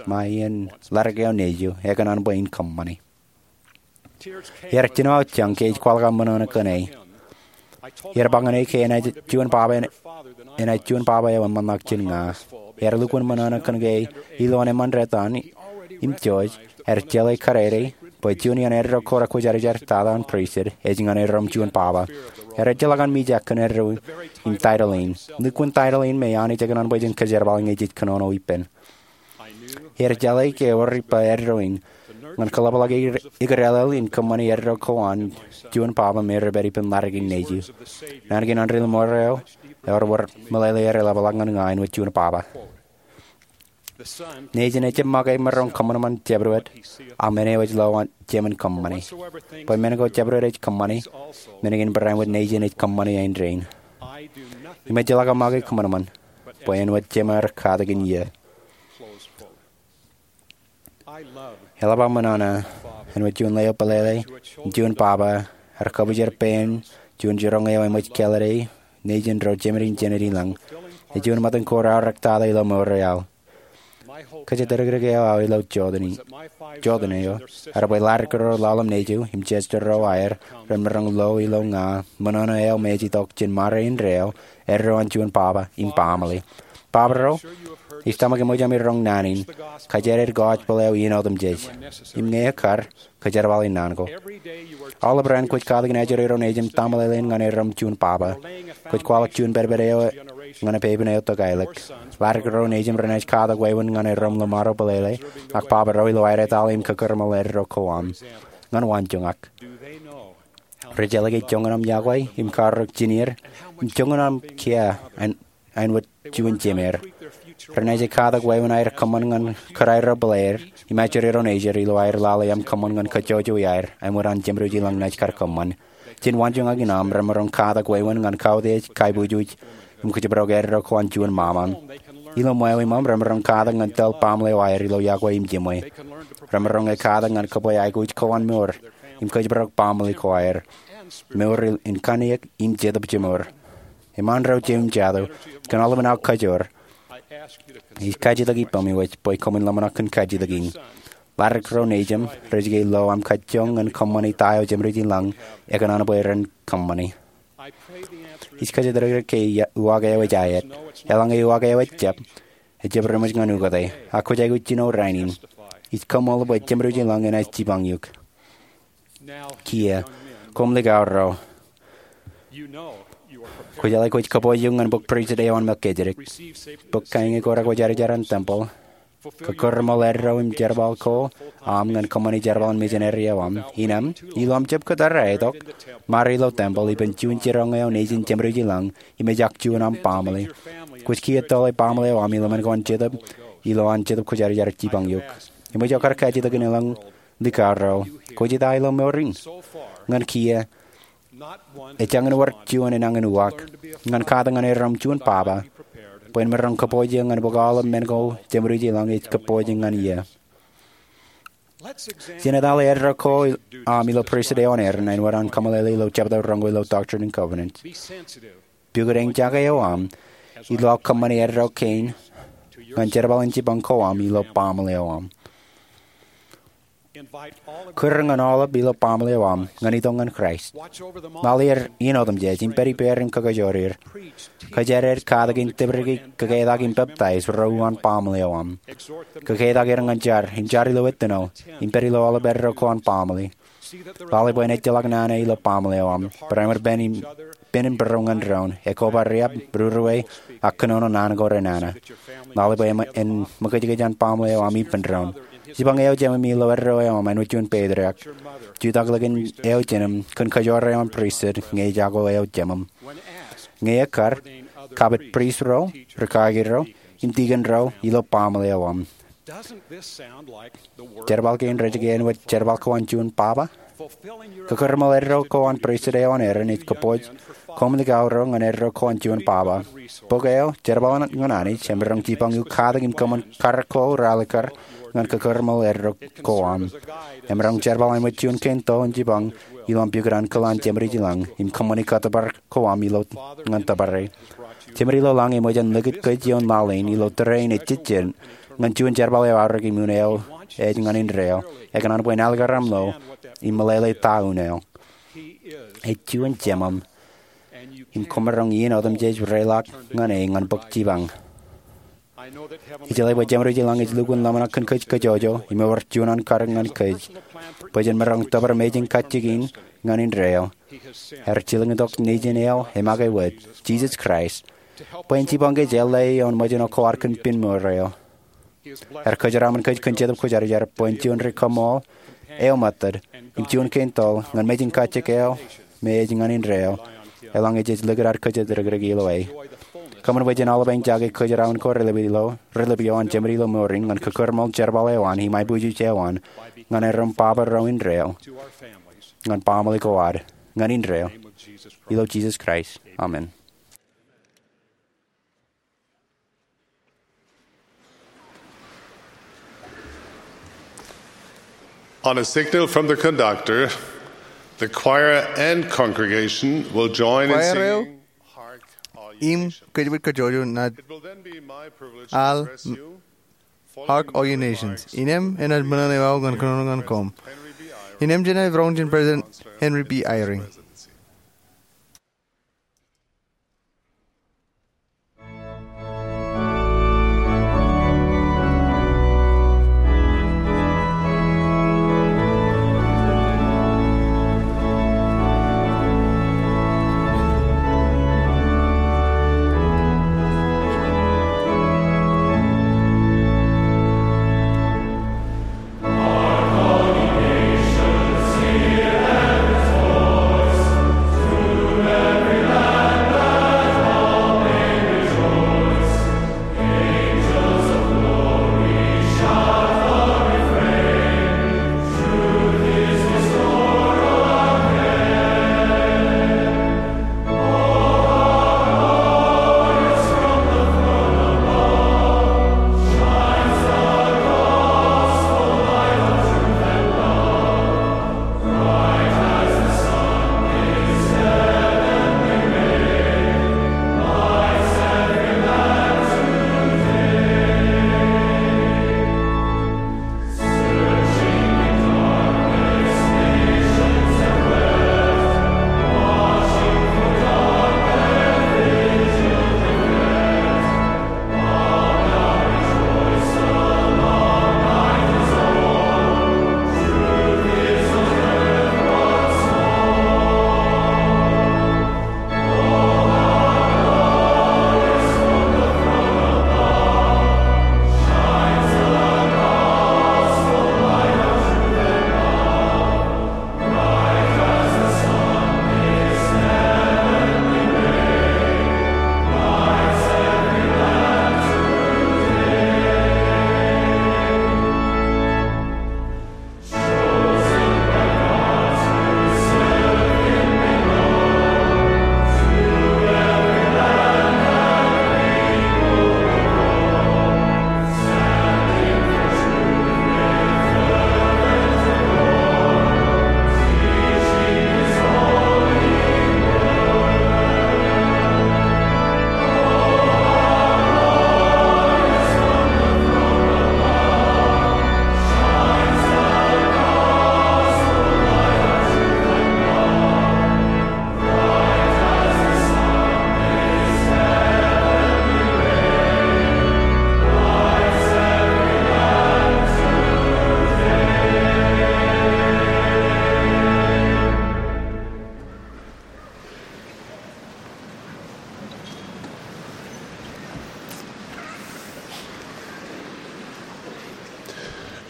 ṃae iien ḷadik eo nejū ekōṇaan bwe in kōṃṃane. Iar jino aō jañ ke ij kwaḷọk aō ṃōṇōṇō kōn e. Iar ba ñan e ke enaaj juon baba, enaaj juon baba eo eṃṃanḷọk jān ña. Ear lukkuun ṃōṇōṇō kōn ke ilowaan eṃṃan detan im George, ear jeḷā kadeede bwe juon iaan eddo ko rekwōjarjar tata an pristut ej ñan erom juon baba. Ear ejjeḷọk an mijak kōn eddo in title in. Lukkuun title in me Anij ekōṇaan bwe jen kōjerbal ñe jej kōnono ippān. Ear jeḷā ke ewōr ippa eddo in ñan kōḷapḷọk ikōrālel in kōṃṃane eddo ko an juon baba me rej pād ippān ḷadik in nejū. Naan kein ilo mour eo, ewōr wōt meḷeḷe eḷapḷọk ñan ña āinwōt juon baba. Nejin ejjab make maroñ kōṃanṃan jabdewōt ak men eo ej lo an jemān kōṃṃane. Bwe men ko jabdewōt ej kōṃṃane, men kein barāinwōt nejin ej kōṃṃane āindein. Im ejjeḷọk aō make kōṃanṃan bwe āinwōt jemān katak in iiō. Eḷap aō ṃōṇōṇō āinwōt juon leo bōlele im juon baba ear kabwijer pein juon jiroñ eo eṃōj kāālōt e nejin ro jemed in jenet ilañ. Ej juon ṃōttan ko reaorōktata ilo mour eo aō. Kōjatdikdik eo aō ilo jotenin eo ear bwe ḷadik ro ḷalem nejū im Chester ro aer remaroñ lo ilo ña ṃōṇōṇō eo me ej itok jān ṃare indeeo eddo an juon baba im baaṃle. Baba ro, ij tōmak eṃōj ami roñ naan in, kōjatdikdik gospel eo iien otemjej. Im ñe ekkar, kōjerbale naan ko. Aolep raan kwōj katak in ajri ro nejin im taṃōḷeḷein ñan erom juon baba. Kwōj kwaḷọk juon pedped eo ñan pepen eo tokālik. Ḷadik ro nejin renaaj katak wāween ñan erom ḷōṃaro bōlele, ak baba ro ilo aer etale im kakōrṃool eddo ko aṃ. Ñan waanjoñak, rej jeḷā ke joñan aṃ iọkwe im karreoik jān er im joñan aṃ kiiō āinwōt juon jemed. Renaaj katak wāween aer kōṃṃan ñan kōrā ro bōlāer im ajri ro nejid ilo aer lale aṃ kōṃṃan ñan kōjjojo iaer āinwōt an jemdewōj ilañ naaj kar kōṃṃan. Jān waanjoñak in aṃ remaroñ katak wāween ñan kautiej, kaibujuj im kōjparok eddo ko an juon ṃaṃa. Ilo ṃweo iṃaṃ remaroñ katak ñan tōl baaṃle eo aer ilo iọkwe im jiṃwe. Remaroñ katak ñan kōbwe aikuj ko an mour im kōjparok baaṃle ko aer. Mour in kanniōk im jetōb jemour. Eṃṃan ro jeiū im jatū, kōn aolepān aō kajoor, Ij kajjitōk ippaṃ iwōj bwe koṃwin ḷōmṇak kōn kajjitōk in. Ladik ro nejūṃ rej ke lo aṃ kajjoñ ñan kōṃṃani ta eo Jemedwōj in lañ ekōṇaan bwe ren kōṃṃani. Ij kōjatdikdik ke uwaak eo ej aet. Eḷaññe uwaak eo ejjab, ejjab ri-ṃōj ñan ukōte. Ak kwōj aikuj jino rainin. Ij koṃṃool bwe Jemedwōj in lañ enaaj jipañ eok. Kiiō, koṃ likao ro, kwōjeḷā kwōj kōpooj eok ñan bōk pristut eo an Melchizedek. Bōk kaeñe ko rekwojarjar an tempel. Kōkōrmool eddo im jerbal ko am ñan kōṃṃani jerbal in misineri eo am. Innem, ilo aṃ jab kōttar aetok, ṃare ilo tempel ippān juon jiroñ eo nejin Jemedwōj in lañ im ejak juon aṃ baaṃle. Kwōj kiiō tōle baaṃle eo am ilo men ko an Jetōb, ilo an Jetōb Kwōjarjar jipañ eok. Im ej kar kajjitōk in elōñ likao ro, kwōj ita ilo mour in? Ñan kiiō, ejjañin wōr juon enañin uwaak ñan katakin erom juon baba bwe en maroñ kōpooj eō ñan bōk aolep men ko Jemedwōj in lañ ej kōpooj ñan eō. Jen etale eddo ko am ilo pristut eo an Aaron āinwōt an kaṃṃoolol ilo jebta roñoul ilo Doctrine and Covenants. Pukot eñjake eo am ilo aō kōṃṃani eddo kein ñan jerbal in jipañ ko am ilo baaṃle eo am. Kūr ñan aolep ilo baaṃle eo am ñan itok ñan Kraist. Lale er iien otemjej im pād ippāer im kakajoor er. Kōjatdikdik, katakin, tōprak, kōketak im peptaij ro uwaan baaṃle eo am. Kōketak er ñan jar im jar ilo ettino im pād ilo aolep eddo ko an baaṃle. Lale bwe en ejjeḷọk nana ilo baaṃle eo am. Barāinwōt pen im, pen im būruō ñan doon, ekoba riab, rūruwe, ak kōnono naan ko renana. Lale bwe en ṃōkajkōj an baaṃle eo am ippān doon. Jipañ eo jemām ilo eddo eo am āinwōt juon patriarch. Jutak likin eo jemām kōn kajoor eo an pristut ñe ejako eo jemām. Ñe ekkar, kapit prist ro, rikaaki ro, im tikōn ro ilo baaṃle eo am. Jerbal kein rej ke āinwōt jerbal ko an juon baba? Kōkōrmool eddo ko an pristut eo an Aaron ej kōpooj koṃ likao ro ñan eddo ko an juon baba. Bok eo, Jerbal ñan Anij, emaroñ jipañ eok katakin kōṃṃan karōk ko ralitōk ñan kōkōrmool eddo ko am. Emaroñ jerbal āinwōt juon kein to in jipañ ilo aṃ pukot ankilōk an Jemedwōj in lañ im kōṃṃani kōttōpar ko am ilo ñan tōpare. Jemād ilo lañ eṃōj en likūt kōj ioon lale in ilo tōre in ejejjet ñan juon jerbal eo aorōk im un eo ej ñan indeeo. Ekōṇaan bwe en alikkar aṃ lo im meḷeḷe ta un eo. Ej juon jemām im koṃ maroñ iien otemjej reiḷọk ñan e ñan bōk jipañ. Ijeḷā bwe Jemād eo ej lañ ej lukkuun ḷōmṇak kōn kōj kajjojo im ewōr juon an karōk ñan kōj bwe jen maroñ tōpar mejān kajjitōk in ñan indeeo. Ear jilkintok Nejin eo emake wōt, Jisōs Kraist, bwe en jipañ kōj eḷḷā ioon ṃōjin ko ad kōn pinmour eo. Ear kōjeraaṃṃan kōj kōn Jetōb Kwōjarjar bwe en juon ri-kaṃṃool eo mōttad im juon kein toḷ ñan mejān kajjitōk eo me ej ñan indeeo, eḷaññe jej likūt ad kōjatdikdik ilo e. Kōṃṃan bwe jen aolep eñjake kōjeraaṃṃan ko reilip eo an Jemād ilo mour in ñan kōkōrmool jerbal eo an im aiboojoj eo an ñan erom baba ro indeeo, ñan baaṃle ko ad, ñan indeeo. Ilo Jisōs Kraist, amen. On a signal from the conductor, the choir and congregation will join in singing Choir eo im kōjwōj kajjojo naaj al Hark, All Ye Nations. Innem enaaj ṃōṇōṇō eo aō ñan kōnono ñan koṃ. Innem jenaaj roñ jān President Henry B. Eyring.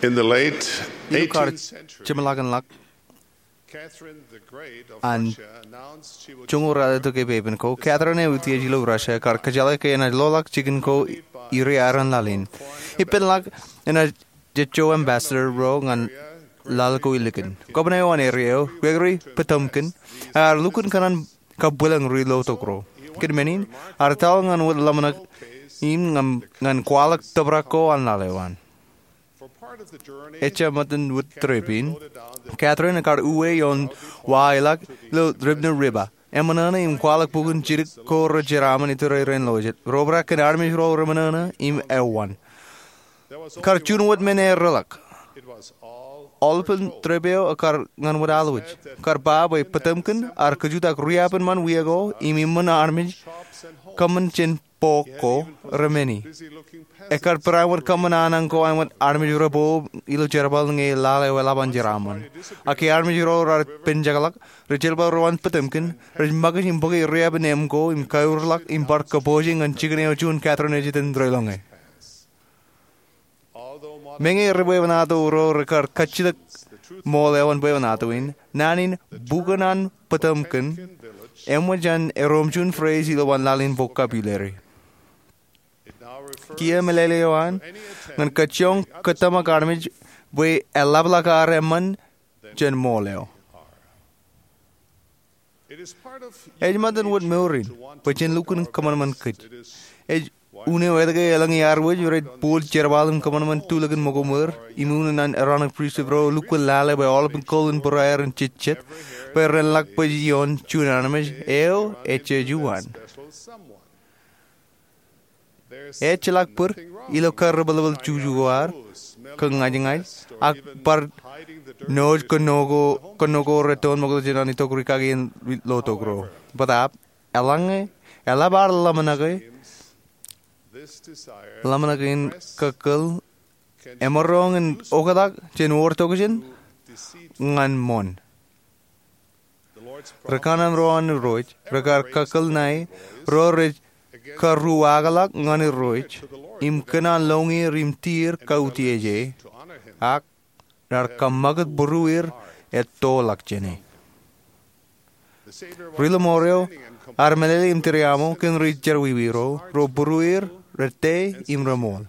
Ilo kar jemḷọkinḷọk an joñoul ralitōk epepen ko, Catherine eutiej ilo Russia kar kōjeḷā ke enaaj loḷọk jikin ko iriaran laḷ in. Ippān ḷọk enaaj jejjo ambassador ro ñan laḷ ko ilikin. Kōṃṃane eo an area eo, Gregory Potemkin, ear lukkuun kōṇaan kabwilōñ ri lotok ro. Kōn men in, ear taḷ ñan wōt ḷōmṇak in ñan kwaḷọk tōprak ko an laḷ eo an. Ejja ṃōttan wōt trip in, Catherine ekar uwe ioon wa ḷọk ilo Dnipro River, eṃōṇōṇō im kwaḷọk bukun jidik ko rej jeraaṃṃan iturerein lo jet, ro obrak kōn armej ro reṃōṇōṇō im ewan. Kar juon wōt men ear reḷọk. Aolepān trip eo ekar ñan wōt alwōj. Kar ba bwe Potemkin ear kajutak riab in ṃan wia ko im iṃōn armej kōṃṃan jān bok ko remenii. Ekar bareinwōt kōṃṃan aṇaṇ ko āinwōt armej rebo ilo jerbal ñe laḷ eo eḷap an jeraaṃṃan. Ak ke armej ro raar penjekḷọk, ri jerbal ro an Potemkin rej ṃakūt im bōke riab in eṃ ko im kaurḷọk im bar kabooje ñan jikin eo juon Catherine ej itōn deḷọñe. Meñe ri bwebwenato ro rekar kajjitōk ṃool eo an bwebwenato in, naan in bukun an Potemkin eṃōj an erom juon phrase ilowaan laḷ in vocabulary. Kiiō meḷeḷe eo an ñan kajjioñ kōtōmak armej bwe eḷapḷọk ad eṃṃan jān ṃool eo. Ej ṃōttan wōt mour in bwe jen lukkuun kōṃanṃan kōj. Ej unin etke elōñ iar wōj rej bōk jerbal im kōṃanṃan tulikin ṃōko ṃweo im unin an Aaronic Pristut ro lukkuun lale bwe aolepān kōl in būrueir en jejjet bwe ren ḷak bōj ioon juon armej eo ejjeḷọk juon. Ejjeḷọk bōd ilo karrepelepel juju ko ad, kōñajñaj, ak bar nōj kōnono ko retoon ṃokta jān an itok ri kaki in lotok ro. Bōtaab, eḷaññe eḷap ad ḷōmṇake, ḷōmṇak in kōkkōl emaroñ in oktak jān wōr tokjān ñan ṃoṇ. Ri kanaan ro an Irooj rekar kōkkōl ṇae ro rej karuwaakḷọk ñan Irooj im kōn an lọñier im tier kautieje, ak raar kaṃṃakūt būrueir ettoḷọk jāne. Ri Ḷōṃoor eo ear meḷeḷe im tūriaṃo kōn ri jerọwiwi ro, ro būrueir, rete im reṃool.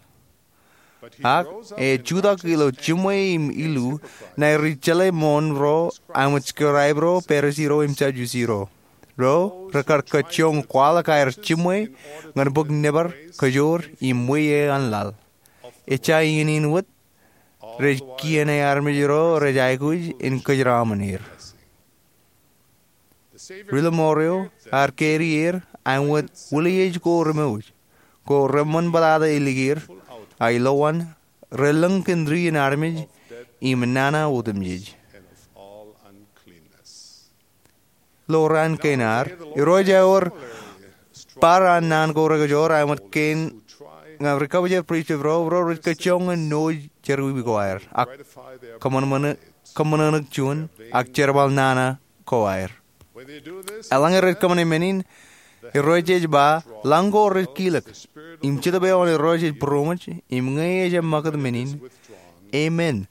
Ak ej jutak ilo jiṃwe im ilu ṇae ri jeḷā ṃoṇ ro āinwōt skribe ro, Parisi ro im Sadusi ro, ro rekar kajjioñ kwaḷọk aer jiṃwe ñan bōk nōbar, kōjoor im ṃweiie an laḷ. Ejja iien in wōt rej kiiō ṇae armej ro rej aikuj in kōjeraaṃṃan er. Ri Ḷōṃoor eo ear karier āinwōt wūliej ko remooj, ko reṃṃan bōtata ilikier, ak ilowaan relōñ kōn ri in armej im nana otemjej. Ilo raan kein ad, Irooj ewōr bar an naan ko rekajoor āinwōt kein ñan ri kabwijak pristut ro, ro rej kajjioñ in nōj jerọwiwi ko aer, ak kōṃṃanṃōṇōṇō juon, ak jerbal nana ko aer. Eḷaññe rej kōṃṃane men in, Irooj ej ba, lañ ko rej kilōk, im Jetōb eo an Irooj ej būroṃōj, im ñe ejjab ṃakūt men in, amen,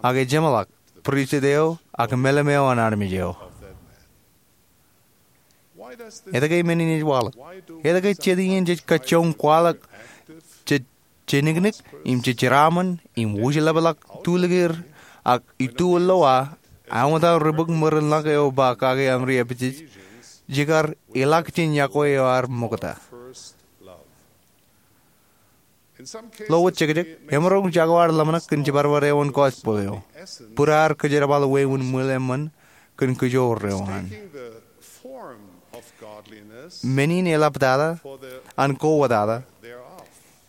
ak ejjeṃḷọk pristut eo ak meḷeṃeo an armej eo. Etke men in ej waḷọk? Etke jet iien jej kajjioñ kwaḷọk jej jeniknik im jej jeraaṃṃan im wūjlepḷọk tulikier ak ituwōn lowa, āinwōt an ri bōk ṃwirin ḷọk eo ba kake an ri Epesōs, jekar ilọk jān iọkwe eo ad ṃokta? Ilo wōt jekjek, emaroñ jako ad ḷōmṇak kōn jibadbad eo an gospel eo, bōd ad kōjerbal wāween ṃwil eṃṃan kōn kōjoor eo an. Men in eḷaptata an kowōtata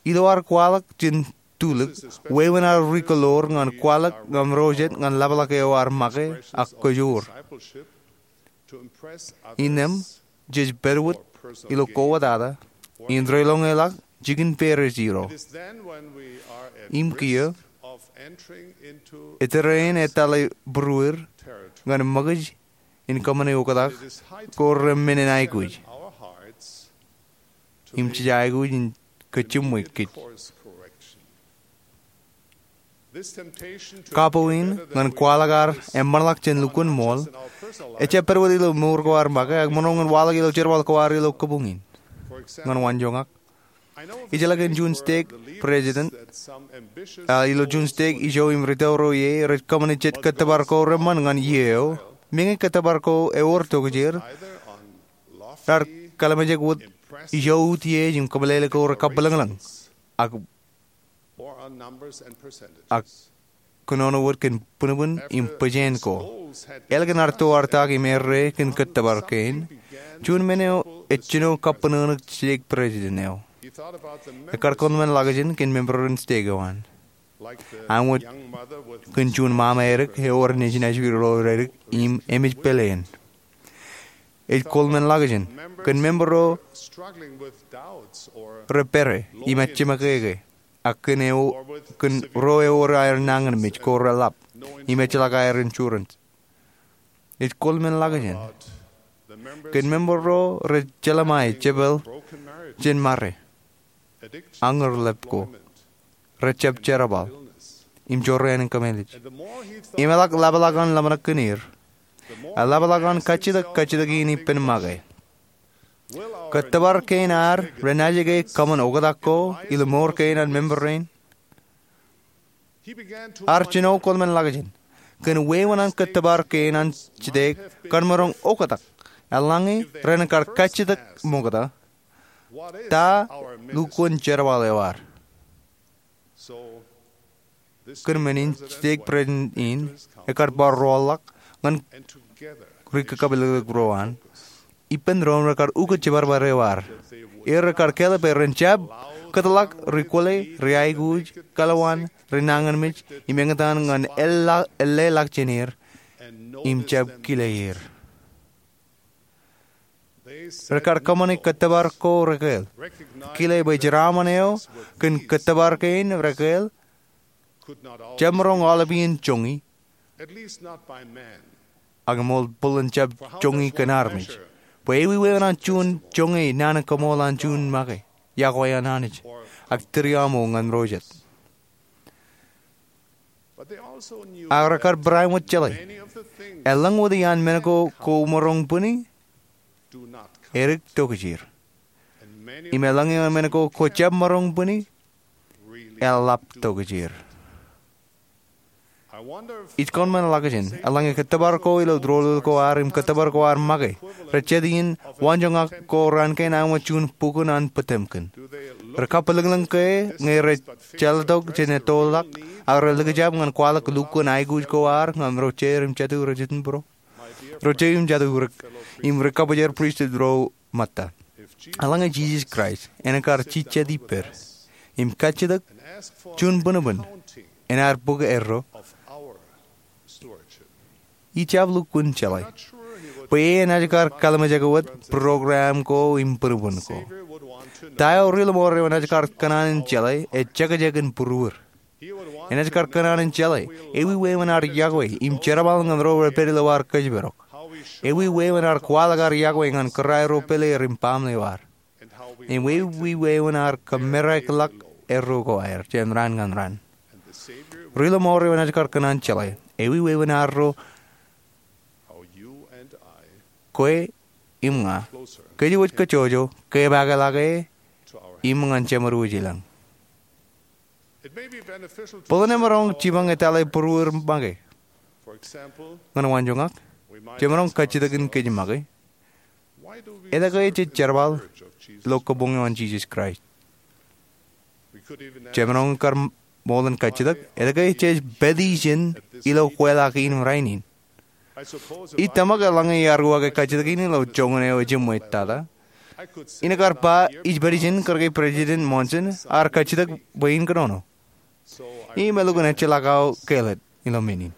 ilo ad kwaḷọk jān tulik wāween ad ri-kōḷoor ñan kwaḷọk ñan ro jet ñan ḷapḷọk eo ad make ak kōjoor. Innām jej pād wōt ilo kowōtata in deḷọñeḷọk jikin Parisi ro. Im kiiō, ej tōre in etale būrueir ñan ṃōkaj in kōṃṃane oktak ko remen in aikuj. Im jej aikuj in kōjiṃwe kōj. Kapo in ñan kwaḷọk ad eṃṃanḷọk jān lukkuun ṃool ejjab pād wōt ilo mour ko ad make ak maroñ in waḷọk ilo jerbal ko ad ilo kabuñ in. Ñan waanjoñak, ijeḷā kōn juon stek president, a ilo juon stek ijo im ri tōl ro ie rej kōṃṃani jet kōttōpar ko reṃṃan ñan iiō eo, meñe kōttōpar ko ewōr tokjāer, raar kalimjek wōt ijo utiej im kōmeḷeḷe ko rekabwilōñlōñ, ak ak kōnono wōt kōn būnbūn im bōjāān ko. Ālikin ad to ad tak im errā kōn kōttōpar kein, juon men eo ej jino kappānōṇōṇō stek president eo. Ekar kōḷmānḷọkjeṇ kōn member in stek eo an. Āinwōt kōn juon ṃaṃa edik eo ewōr nejin ajri ro edik im emej pāleen, ej kōḷmānḷọkjeṇ kōn member ro rej pere im ejjeṃōkeke, ak kōn ro ewōr aer nañinmej ko reḷap im ejjeḷọk aer insurance. Ej kōḷmānḷọkjeṇ kōn member ro rej jeḷā ṃae jepeḷ jān mare, añūrḷap ko, rejjab jerbal, im jorrāān in kōmālij. Im eḷak ḷapḷọk an ḷōmṇak kōn er, eḷapḷọk an kajjitōk kajjitōk in ippān make. Kōttōpar kein ad renaaj ke kōṃṃan oktak ko ilo mour kein an member rein? Ear jino kōḷmānḷọkjeṇ kōn wāween an kōttōpar kein an stek kōn maroñ oktak, eḷaññe ren kar kajjitōk ṃokta, ta lukkuun jerbal eo ad? Kōn men in stek president in ekar bar roḷọk ñan ri kakabwilōñlōñ ro an ippān doon rekar ukōt jibarbare eo ad. Im rekar kāālōt bwe ren jab kōtḷọk ri kwōle, ri aikuj, kalwaan, ri nañinmej, im eñtaan ñan eḷḷā ḷọk jān er im jab kile er. Rekar kōṃṃane kōttōpar ko rekāāl, kile bwe jeraaṃṃan eo kōn kōttōpar kein rekāāl jab maroñ aolep iien joñi, ak ṃool bōlen jab joñi kōn armej, bwe ewi wāween an juon joñe naan in kaṃool an juon make, iọkwe an Anij, ak tūriaṃo ñan ro jet. Ak rekar barāinwōt jeḷā, eḷaññe wōt iaan men ko kwō maroñ bwini, edik tokjāer. Im eḷaññe men ko kwō jab maroñ bwini, eḷap tokjāer. Ij kōḷmānḷọkjeṇ eḷaññe kōttōpar ko ilo doulul ko ad im kōttōpar ko ad make rej jet iien waanjoñak ko raan kein āinwōt juon bukun an Potemkin. Rej kabwilōñlōñ ke ñe rej jeḷātok jān ettoḷọk, ak rej likjab ñan kwaḷọk lukkuun aikuj ko ad ñan ro jeir im jatū rej jitōnbōro, ro jeir im jatū rej, im ri kabwijer pristut ro ṃōtta. Eḷaññe Jisōs Kraist en kar jijet ippād im kajjitōk juon būnbūn in ad bōk erro, ij jab lukkuun jeḷā bwe enaaj kar kalimjeke wōt program ko im būnbūn ko. Ta eo ri ḷōṃarein enaaj kar kōṇaan in jeḷā ej jekjek in būruod. Enaaj kar kōṇaan in jeḷā ewi wāween ad iọkwe im jerbal ñan ro rej pād ilo ad kōjparok, ewi wāween ad kwaḷọk ad iọkwe ñan kōrā ro pāleer im baaṃle eo ad, im ewi wāween ad kōmerakḷọk erro ko aer jān raan ñan raan. Ri ḷōṃarein enaaj kar kōṇaan jeḷā ewi wāween arro, kwe im ña, kōjwōj kajjojo kepaakḷọk e im ñan jemed wōj ilañ. Bōlen emaroñ jipañ etale būruod make. Ñan waanjoñak, jemaroñ kajjitōk in kōj make, etke jej jerbal ilo kabuñ eo an Jisōs Kraist? Jemaroñ kar ṃool in kajjitōk etke jej pād ijin ilo kweilọk in rainin? Ij tōmak eḷaññe iar uwaake kajjitōk in ilo joñan eo ejiṃwe tata, inaaj kar ba ij pād ijin kōrā ke President Monson ear kajjitōk bwe in kōnono. Im elukkuun ejjeḷọk aō kāālōt ilo men in.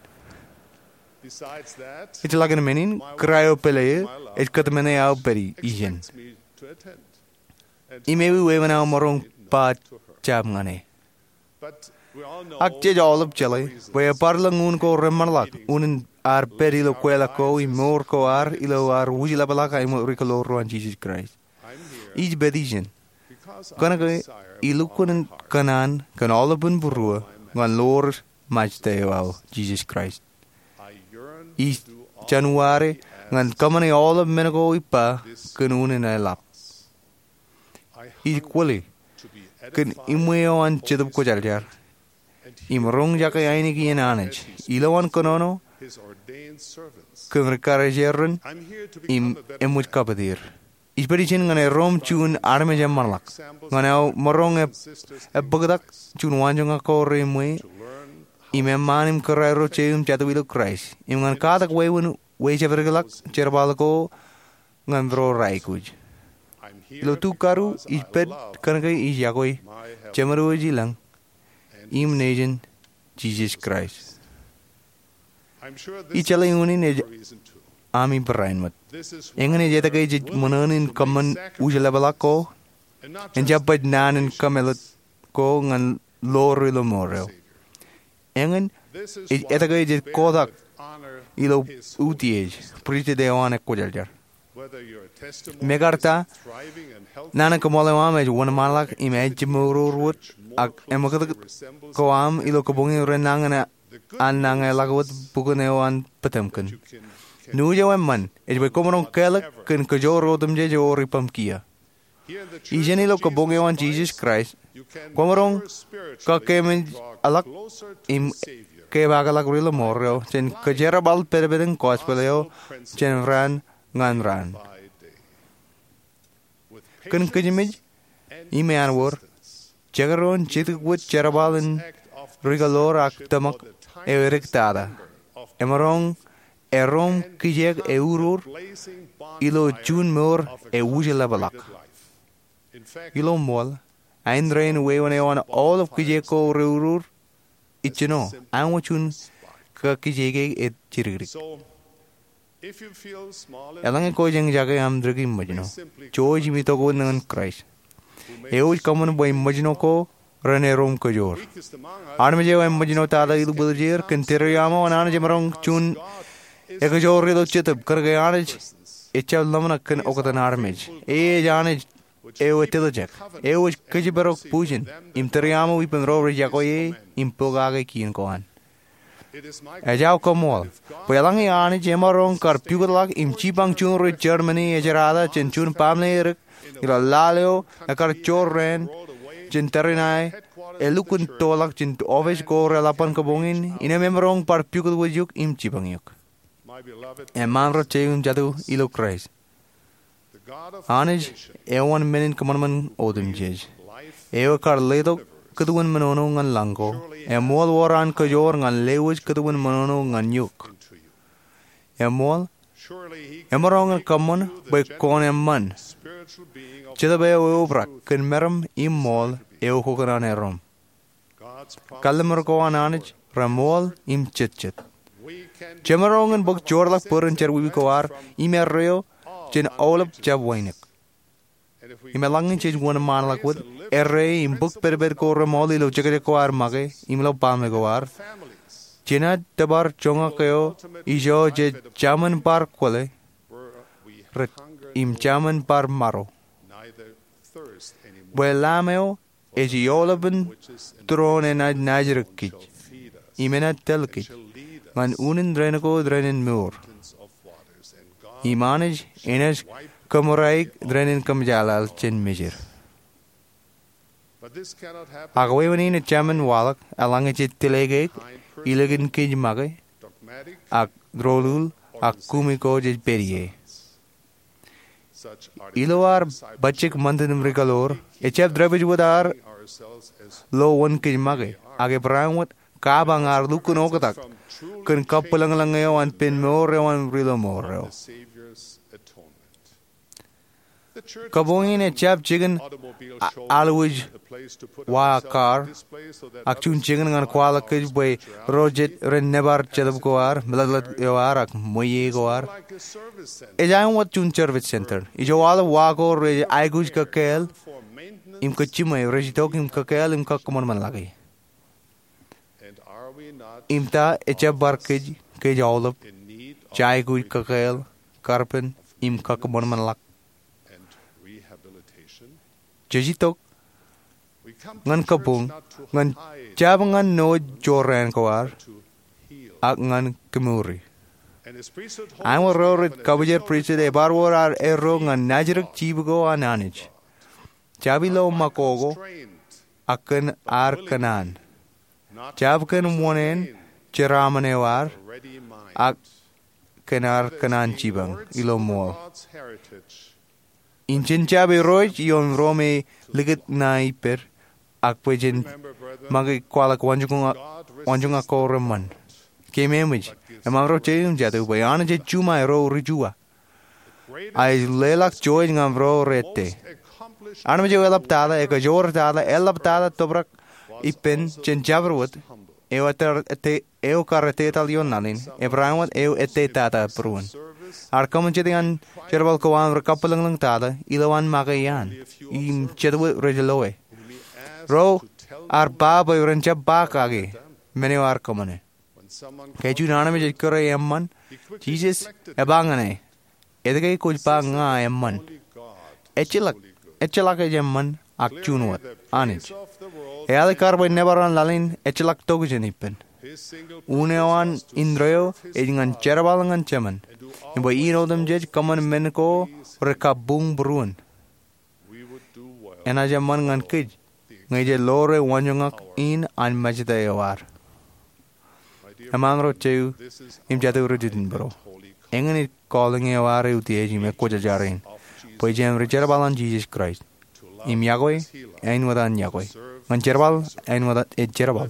Ejjeḷọk in men in, kōrā eo pāle eō ej kōtmāne aō pād ijin. Im ewi wāween aō maroñ ba jab ñan e. Ak jej aolep jeḷā bwe ebar ilo ñūn ko reṃṃanḷọk unin ad pād ilo kweilọk ko im mour ko ad ilo ad wūjlepḷọk aer ri kōloor ro an Jisōs Kraist. Ij pād ijin kōnke ij lukkuun kōṇaan kōn aolepān būruō ñan lowaan Ṃajeḷ eo aō, Jisōs Kraist. Ij jaṇwaar ñan kōṃṃane aolep men ko ippa kōn unin eḷap. Ij kwōle kōn iṃwe eo an Jetōb Kwōjarjar im roñjake ainikien Anij ilowaan kōnono kōn ri karijer rein im eṃōj kapeteer. Ij pād ijin ñan erom juon armej eṃṃanḷọk ñan aō maroñ e bōktak juon waanjoñak ko reiṃwe im eṃṃaan im kōrā ro jeiū im jatū ilo Kraist im ñan katak wāween wejepedekḷọk jerbal ko ñan ro aikuj. Ilo tukadu ij pād kōnke ij iọkwe Jemedwōj ilañ im nejin, Jisōs Kraist. Ij jeḷā unin ej ami barāinwōt. Eñin ej etke jej ṃōṇōṇō in kōṃṃan wūjlepḷọk ko, en jab baj naan in kōmeḷeḷe ko ñan ḷoor ilo mour eo. Eñin ej etke jej kotak ilo utiej Prijestōt eo an Kwōjarjar. Mekarta naan in kōṃṃool eo aṃ ej wōnṃaanḷọk im ejjemour wōt ak eṃōkūtkūt ko aṃ ilo kōboñi rej nañin an nañinḷọk wōt bukun eo an Potemkin, nuuj eo eṃṃan ej bwe koṃ maroñ kālōk kōn kōjoor otemjej eo rej ippaṃ kiiō. Ijin ilo kōboñ eo an Jisōs Kraist, kwōmaroñ kakememej ḷọk im kepaakḷọk ri ḷōṃaro jān kōjerbal pedped in gospel eo jān raan ñan raan. Kōn kōjmej im āinwōr, jekdọọn jidik wōt jerbal in rikōḷoor ak tōmak eo edik tata emaroñ erom kijek eurur ilo juon mour ewūjlepḷọk. Ilo ṃool, āindein wāween eo an aolep kijek ko reurur, ijjino āinwōt juon kakijeke ej jidikdik. Eḷaññe kwōj eñjake aṃ dik im ṃōjṇo, jouj im itok wōt ñan Kraist, eo ej kōṃṃan bwe ṃōjṇo ko ren erom kōjoor. Armej eo eṃōjṇo tata ilo bwiljeer kōn tōre aṃ eo an Anij emaroñ juon ekajoor ilo jetōb kōnke Anij ejjab ḷōmṇak kōn oktak armej. E ej Anij eo ej tōtōjek, eo ej kōjparok bujen im tōre aṃ eo ippān ro rej iọkwe e im pokake kien ko an. Ej aō koṃṃool bwe eḷaññe Anij emaroñ kar pukotḷọk im jipañ juon ro Jermani ejerata jān juon baaṃle edik ilo laḷ eo ekar jorrāān jān tariṇae, elukkuun toḷọk jān office ko reḷapḷọk kōboñ in, innām emaroñ bar pukot wōt eok im jipañ eok. Eṃṃaan ro jeiū im jatū ilo Kraist, Anij eo an menin kōṃanṃan otemjej, eo ekar letok kūtwōn menono ñan lañ ko, eṃool wōr an kōjoor ñan lewōj kūtwōn menono ñan eok. Eṃool, emaroñ in kōṃṃan bwe kwōn eṃṃan Jetōb eo eobrak kōn meram im ṃool eo kwōkōṇaan erom. Kalliṃur ko an Anij reṃool im jetjet. Jemaroñ in bōk joorḷọk bōd in jerọwiwi ko ad im erreo jān aolep jab wānōk. Im eḷaññe jej wōnṃaanḷọk wōt erreo im bōk pedped ko reṃool ilo jekjek ko ad make im ilo baaṃle ko ad, jenaaj tōpar joñak eo ijo jej jaṃin bar kwōle im jaṃin bar maro. Bwe Laṃ eo ej eoḷapin tūroon enaaj naajdik kōj im enaaj tōl kōj ñan unin rainin ko rainin mour. Im Anij enaaj kōṃōrāik rainin kōmjaaḷaḷ jān mejed. Ak wāween in ejāmin waḷọk eḷaññe jej tōlōke ilikin kōj make ak doulul ak kumi ko jej pād ie. Ilo ad bajjek ṃantin im rikōḷoor, ejjab dāpij wōt ad lo wōn kōj make, ak ebarāinwōt kapañ ad lukkuun oktak kōn kabwilōñlōñ eo an pen mour eo an ri ḷōṃaro. Kōboñ in ejjab jikin aḷ wōj wa kar, ak juon jikin ñan kwaḷọk kōj bwe ro jet ren nōbar jetōb ko ad, meḷeḷe eo ad, ak ṃweiie ko ad. Ej āinwōt juon service center ijo aolep wa ko rej aikuj kōkāāl im kōj jiṃwe rej itok im kōkāāl im kōkōṃanṃanḷọke. Im ta ejjab bar kōj, kōj aolep, jej aikuj kōkāāl, karpen im kōkōṃanṃanḷọk? Jej itok ñan kabuñ, ñan jab ñan ṇo jorrāān ko ad, ak ñan kōmouri. Āinwōt ro rej kabwijer pristut, ebar wōr ad erro ñan najidik jibukko an Anij. Jab ilo ṃakoko, ak kōn ad kōṇaan. Jab kōn wōṇāān jeraaṃṃan eo ad, ak kōn ad kōṇaan jipañ ilo ṃool. Im jen jab irooj ioon ro me likūt ṇae ippād, ak bwe jen make kwaḷọk waanjoñak ko reṃṃan. Keememej, eṃṃan ro je im jatū bwe Anij ej juṃae ro ri Jua. A ej leḷọk jouj ñan ro rej ettā. Armej eo eḷap tata, ekajoor tata, eḷap tata tōprak ippān jān jabdewōt, eo ettā, ettā, eo kar ettā etal ioon laḷ in, ebar āinwōt eo ettā tata būruon. Ad kōṃṃan jet iaan jerbal ko an ri kabwilōñlōñ tata, ilowaan make iaan, im jetwe rej loe. Ro ar ba bwe ren jab ba kake, men eo ar kōṃṃane. Ke juon armej ej kūr e eṃṃan, Jisōs ej ba ñan e, etke kwōj ba ña eṃṃan? Ejjeḷọk, ejjeḷọk ej eṃṃan ak juon wōt, Anij. Eaḷ kar bwe nōbar an laḷ in ejjeḷọk tokjān ippān. Un eo an indeeo ej ñan jerbal ñan Jemān, im bwe in otemjej kōṃṃan men ko rekabuñ būruon. Enaaj eṃṃan ñan kōj ñe jej ḷoore waanjoñak in an Mājta eo ad. Eṃṃan ro jeiū im jatū ri jitōnbōro, eñin ej calling eo ad eutiej im ekwōjarjar in, bwe jen ri jerbal an Jisōs Kraist, im yokwe āinwōt an yokwe, ñan jerbal āinwōt ej jerbal,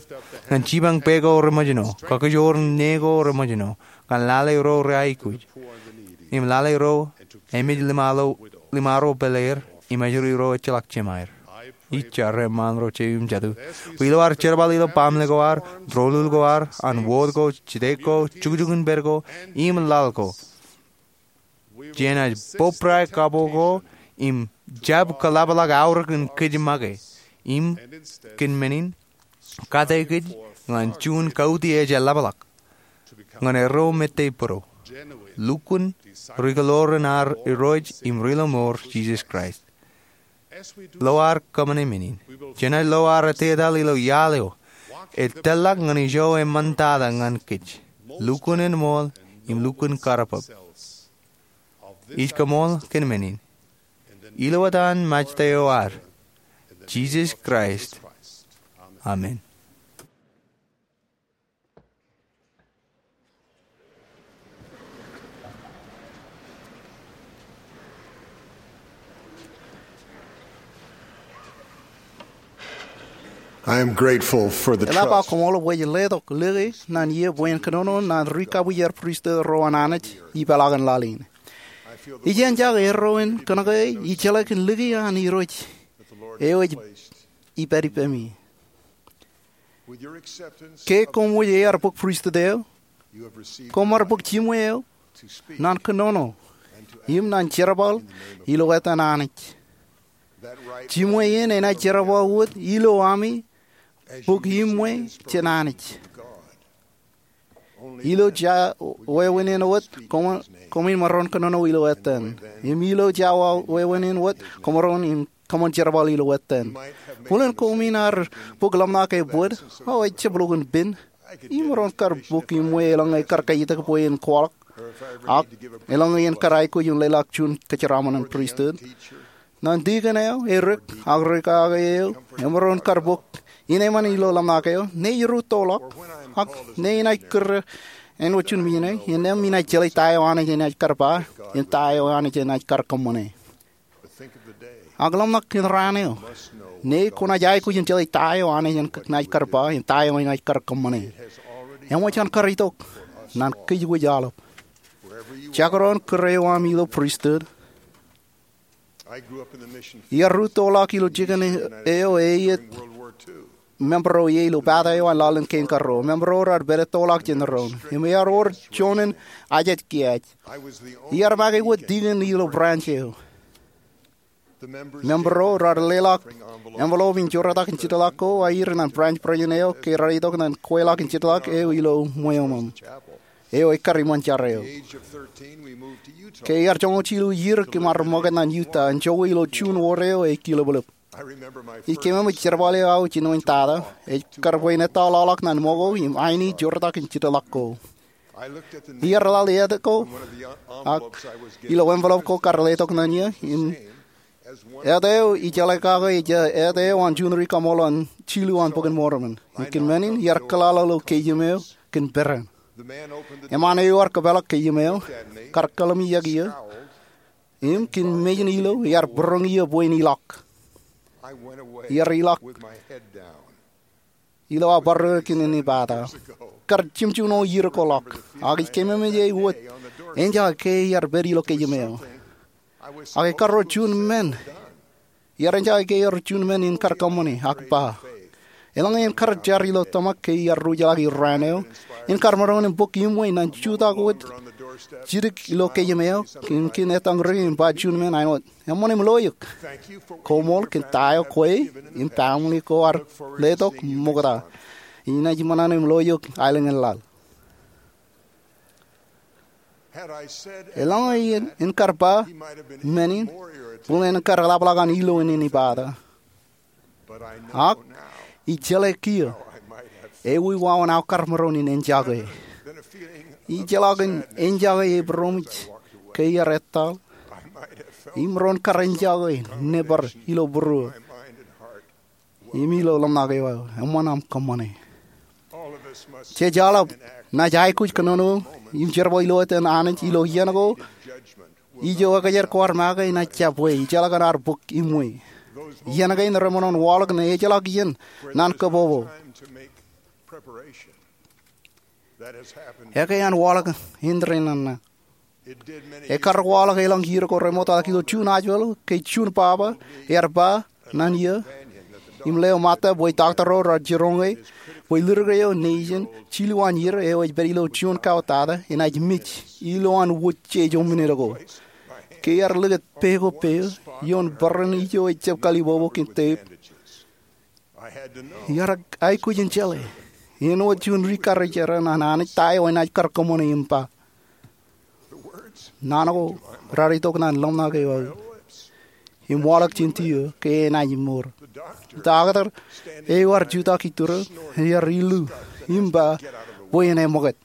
ñan jipañ pā ko reṃōjṇo, kakijoor ṇe ko reṃōjṇo, ñan lale ro reaikuj, im lale ro emej limaro pāleer, im ājri ro ejjeḷọk jemāer. Ij jar eṃṃan ro jeiū im jatū bwe ilo ad jerbal ilo baaṃle ko ad, doulul ko ad, an wōt ko, jidik ko, jukjuk in pād ko, im laḷ ko, jenaaj bōbrae kapo ko im jab kōḷapḷọk aorōk in kōj make, im kōn men in kate kōj ñan juon kautiej eḷapḷọk ñan erro mejān bōro, lukkuun ri-kōḷoor in ad Irooj im Ri-lọmọọr Jisōs Kraist. Ilo ad kōṃṃane men in, jenaaj lo ad ettā etal ilo iaḷ eo ej tōl ḷọk ñan ijo eṃṃantata ñan kōj, lukkuun eṃṃool im lukkuun kar bōb. Ij koṃṃool kōn men in ilo etan Mājta eo ad, Jisōs Kraist. Amen. I am grateful for the Eḷap aō trust. Koṃṃool bwe ej letok lōke ñan iiō bwe en kōnono ñan ri kabwijer pristut ro an Anij ipeḷaakin laḷ in. Ij jen jake erro in kōnke ij jeḷā kōn lōke an Irooj eo ej ipād ippemi. Ke koṃ wōj ear bōk pristut eo, koṃ ar bōk jimwe eo ñan kōnono im ñan jerbal ilo etan Anij. Jimwe in enaaj jerbal wōt ilo ami bōk jimwe jān Anij. Ilo jea wāween in wōt koṃ, koṃwin maroñ kōnono ilo etan. Im ilo jea wāween in wōt koṃaroñ im kōṃṃan jerbal ilo etan. Bōlen koṃwin ar bōk ḷōmṇak ebōd, o ejjab lukkuun pen. Imaroñ kar bōk jimwe eḷaññe kar kaitak bwe en kwaḷọk, ak eḷaññe en kar aikuj in leḷọk juon kōjeraaṃṃan in pristut. Ñan dikon eo, erik, ak rikaake eo, emaroñ kar bōk ineeṃṃan ilo ḷōmṇak eo, ñe eruttoḷọk, ak ñe enaaj kūr āinwōt juon mijne, innām inaaj jeḷā ta eo Anij enaaj kar ba, im ta eo Anij enaaj kar kōṃṃane. Ak ḷōmṇak kōn raan eo, ñe kwōnaaj aikuj in jeḷā ta eo Anij enaaj kar ba, im ta eo enaaj kar kōṃṃane. Eṃōj an kar itok ñan kōj wōj aolep. Jekdọọn kūr eo ami ilo pristut, iar ruttoḷọk ilo jikin eo eiiet member ro ie ilo pata eo an laḷ in kein karreo. Member ro raar pād ettoḷọk jān doon im iar wōr juon in ajej kiaaj. Iar make wōt dikon ilo branch eo. Member ro raar leḷọk envelope in joortak in jitḷọk ko aer ñan branch president eo ke raar itok ñan kweilọk in jitḷọk eo ilo ṃweo eo eo ekkar iṃōn jar eo. Ke iar joñoul jilu iiō, kōm ar ṃokta ñan Utah im joñoul ilo juon wōr eo ekilōblōb. Ij keememej jerbal eo aō jinoin tata, ej kar bwe in ettā ḷọkḷọk ñan ṃōko im aini joortak in jitḷọk ko. Iar laḷ eōt ko, ak ilo envelope ko kar letok ñan eō, im eōt eo ij jeḷā kake ej eōt eo an juon ri kaṃool an jilu an Bok in Mormon. Im kōn men in iar kōḷaḷ ilo keiōm eo kōn peran. Eṃṃaan eo ear kōpeḷḷọk keiōm eo, kar kōḷmānḷọkjeṇ eō, im kōn mejān ilo iar būroñ eō bwe in ilọk. Iar ilọk ilo aō barāinwōt kōn inepata. Kar jimjuon iiō ko ḷọk, ak ij keememej e wōt enjake ke iar pād ilo keiōm eo. Ak ekar wōr juon men, iar enjake ke ewōr juon men in kar kōṃṃani ak ba, eḷaññe en kar jar ilo tōmak ke iar ruj ḷọk irraan eo, en kar maroñ in bōk iṃwe ñan jutak wōt jidik ilo keiōm eo, im kōn etan ri im ba juon men āinwōt, eṃṃan im lo eok. Koṃṃool kōn ta eo kwe im family ko ar letok ṃokta. Inaaj ṃōṇōṇō im lo eok aelōñ in laḷ. Eḷaññe en kar ba men in, bōlen en kar ḷapḷọk an ilo in inepata. Ak ij jeḷā kiiō ewi wāween aō kar maroñ in enjake. Ij jeḷā kōn enjake ebūroṃōj ke iar etal, im maroñ kar enjake nebar ilo būruō im ilo ḷōmṇak eo aō. Eṃṃan aṃ kōṃṃane. Jej aolep naaj aikuj kōnono im jerbal ilo etan Anij ilo iien ko ijo ekōjkan ko ar make enaaj jab bwe ijjeḷọk an ad bōk iṃwe. Iien kein remaroñ waḷọk ñe ejjeḷọk iien ñan kōpopo. Ekwe an waḷọk indein ṇaṇ ṇe. Ekar waḷọk elōñ iiō ko remootḷọk ilo juon hospital ke juon baba ear ba ñan eō im leo ṃōtta bwe doctor ro raar jiroñ e bwe lōḷḷọk eo nejin jilu an iiō eo ej pād ilo juon kao tata enaaj mej ilowaan wōt jeje minit ko. Ke ear likūt pā ko pā ioon bōran ijo ejjab kalibobo kōn tape, iar aikuj in jeḷā āinwōt juon ri karijeran an Anij ta eo enaaj kar kōṃṃane im ba. Naan ko raar itok ñan ḷōmṇak eo aō im waḷọk jān tiō ke enaaj mour. Doctor eo ear jutak iturūṃ ear ilu im ba bwe en eṃōkaj.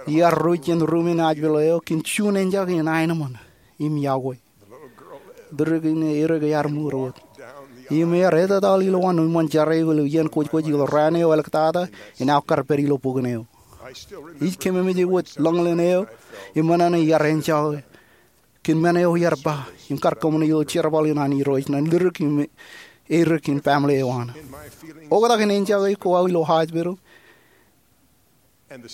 Iar ruj jān ruumen hospital eo kōn juon enjake in aenōṃṃan im iọkwe. Lōḷḷọk in edik ear mour wōt im ear etetal ilowaan iṃōn jar eo ilo iien kwōjkwōj ilo raan eo āliktata in aō kar pād ilo bok in eo. Ij keememej e wōt ḷōñlōñ eo im ṃōṇōṇō iar enjake kōn men eo iar ba im kar kōṃṃane ilo jerbal in an Irooj ñan lōḷḷọk im edik in family eo an. Oktak in enjake ko aō ilo hospital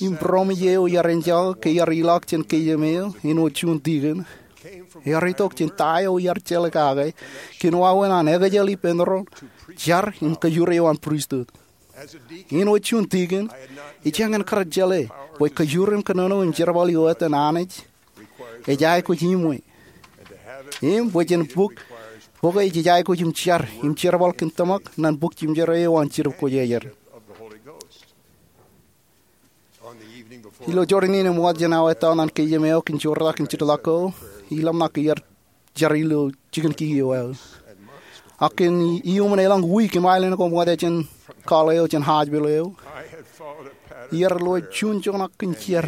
im būroṃōj eo iar enjake ke iar ilọk jān keiōm eo āinwōt juon deacon ear itok jān ta eo iar jeḷā kake kōn wāween an ekōjel ippān ro jar im kōjure eo an pristut. Āinwōt juon deacon, ij jañin kar jeḷā bwe kōjure im kōnono im jerbal ilo etan Anij ej aikuj iṃwe im bwe jen bōk bōke jej aikuj im jar im jerbal kōn tōmak ñan bōk jimjerā eo an Jetōb Kwōjarjar. Ilo jọteen in eṃṃan jān aō ettā ñan keiōm eo kōn joortak in jitḷọk ko, iḷōmṇak ke iar jar ilo jikin kiiō eo aō. Ak kōn iuṃwin elōñ wiik im aelōñ ko ṃokta jān call eo jān hospital eo, iar lo juon joñak kōn jar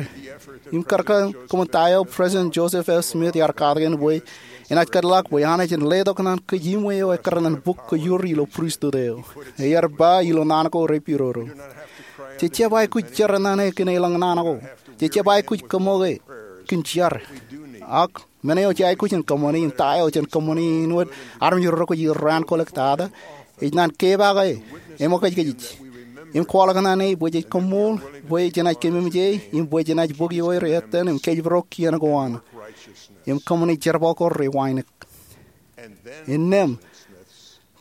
im kar kōṃṃan ta eo President Joseph F. Smith ear katakin bwe enaaj kōtḷọk bwe Anij en letok ñan kōj iṃwe eo ekkar ñan bōk kōjur ilo pristut eo. Ear ba ilo naan ko repidodo, jej jab aikuj jar ñan e kōn elōñ naan ko. Jej jab aikuj kōṃṃoke kōn jar. Ak men eo jej aikuj in kōṃṃane im ta eo jen kōṃṃane āinwōt armej ro kwōj irraan kwō āliktata ej ñan kepaake eṃōkajkōj im kwaḷọk ñan e bwe jej koṃṃool bwe jenaaj keememej e im bwe jenaaj bōk ioer etan im kōjparok kien ko an im kōṃṃane jerbal ko rewānōk. Innām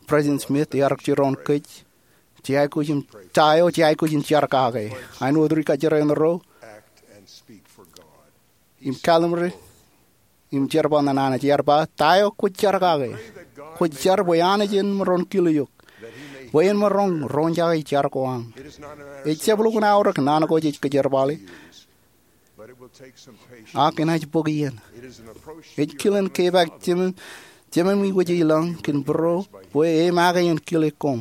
President Smith ear jiroñ kōj, jej aikuj im ta eo jej aikuj in jar kake. Āinwōt ri kajjitōk ro im kallim̧ur im jerbal ñan Anij, ear ba, ta eo kwōj jar kake, kwōj jar bwe Anij en maroñ kile eok bwe en maroñ roñjake jar ko aṃ. Ejjab lukkuun aorōk naan ko jej kōjerbale, ak enaaj bōk iien. Ej kilen kepaak jemān Jememi wōj ilọñ kōn būruō bwe e make en kile koṃ.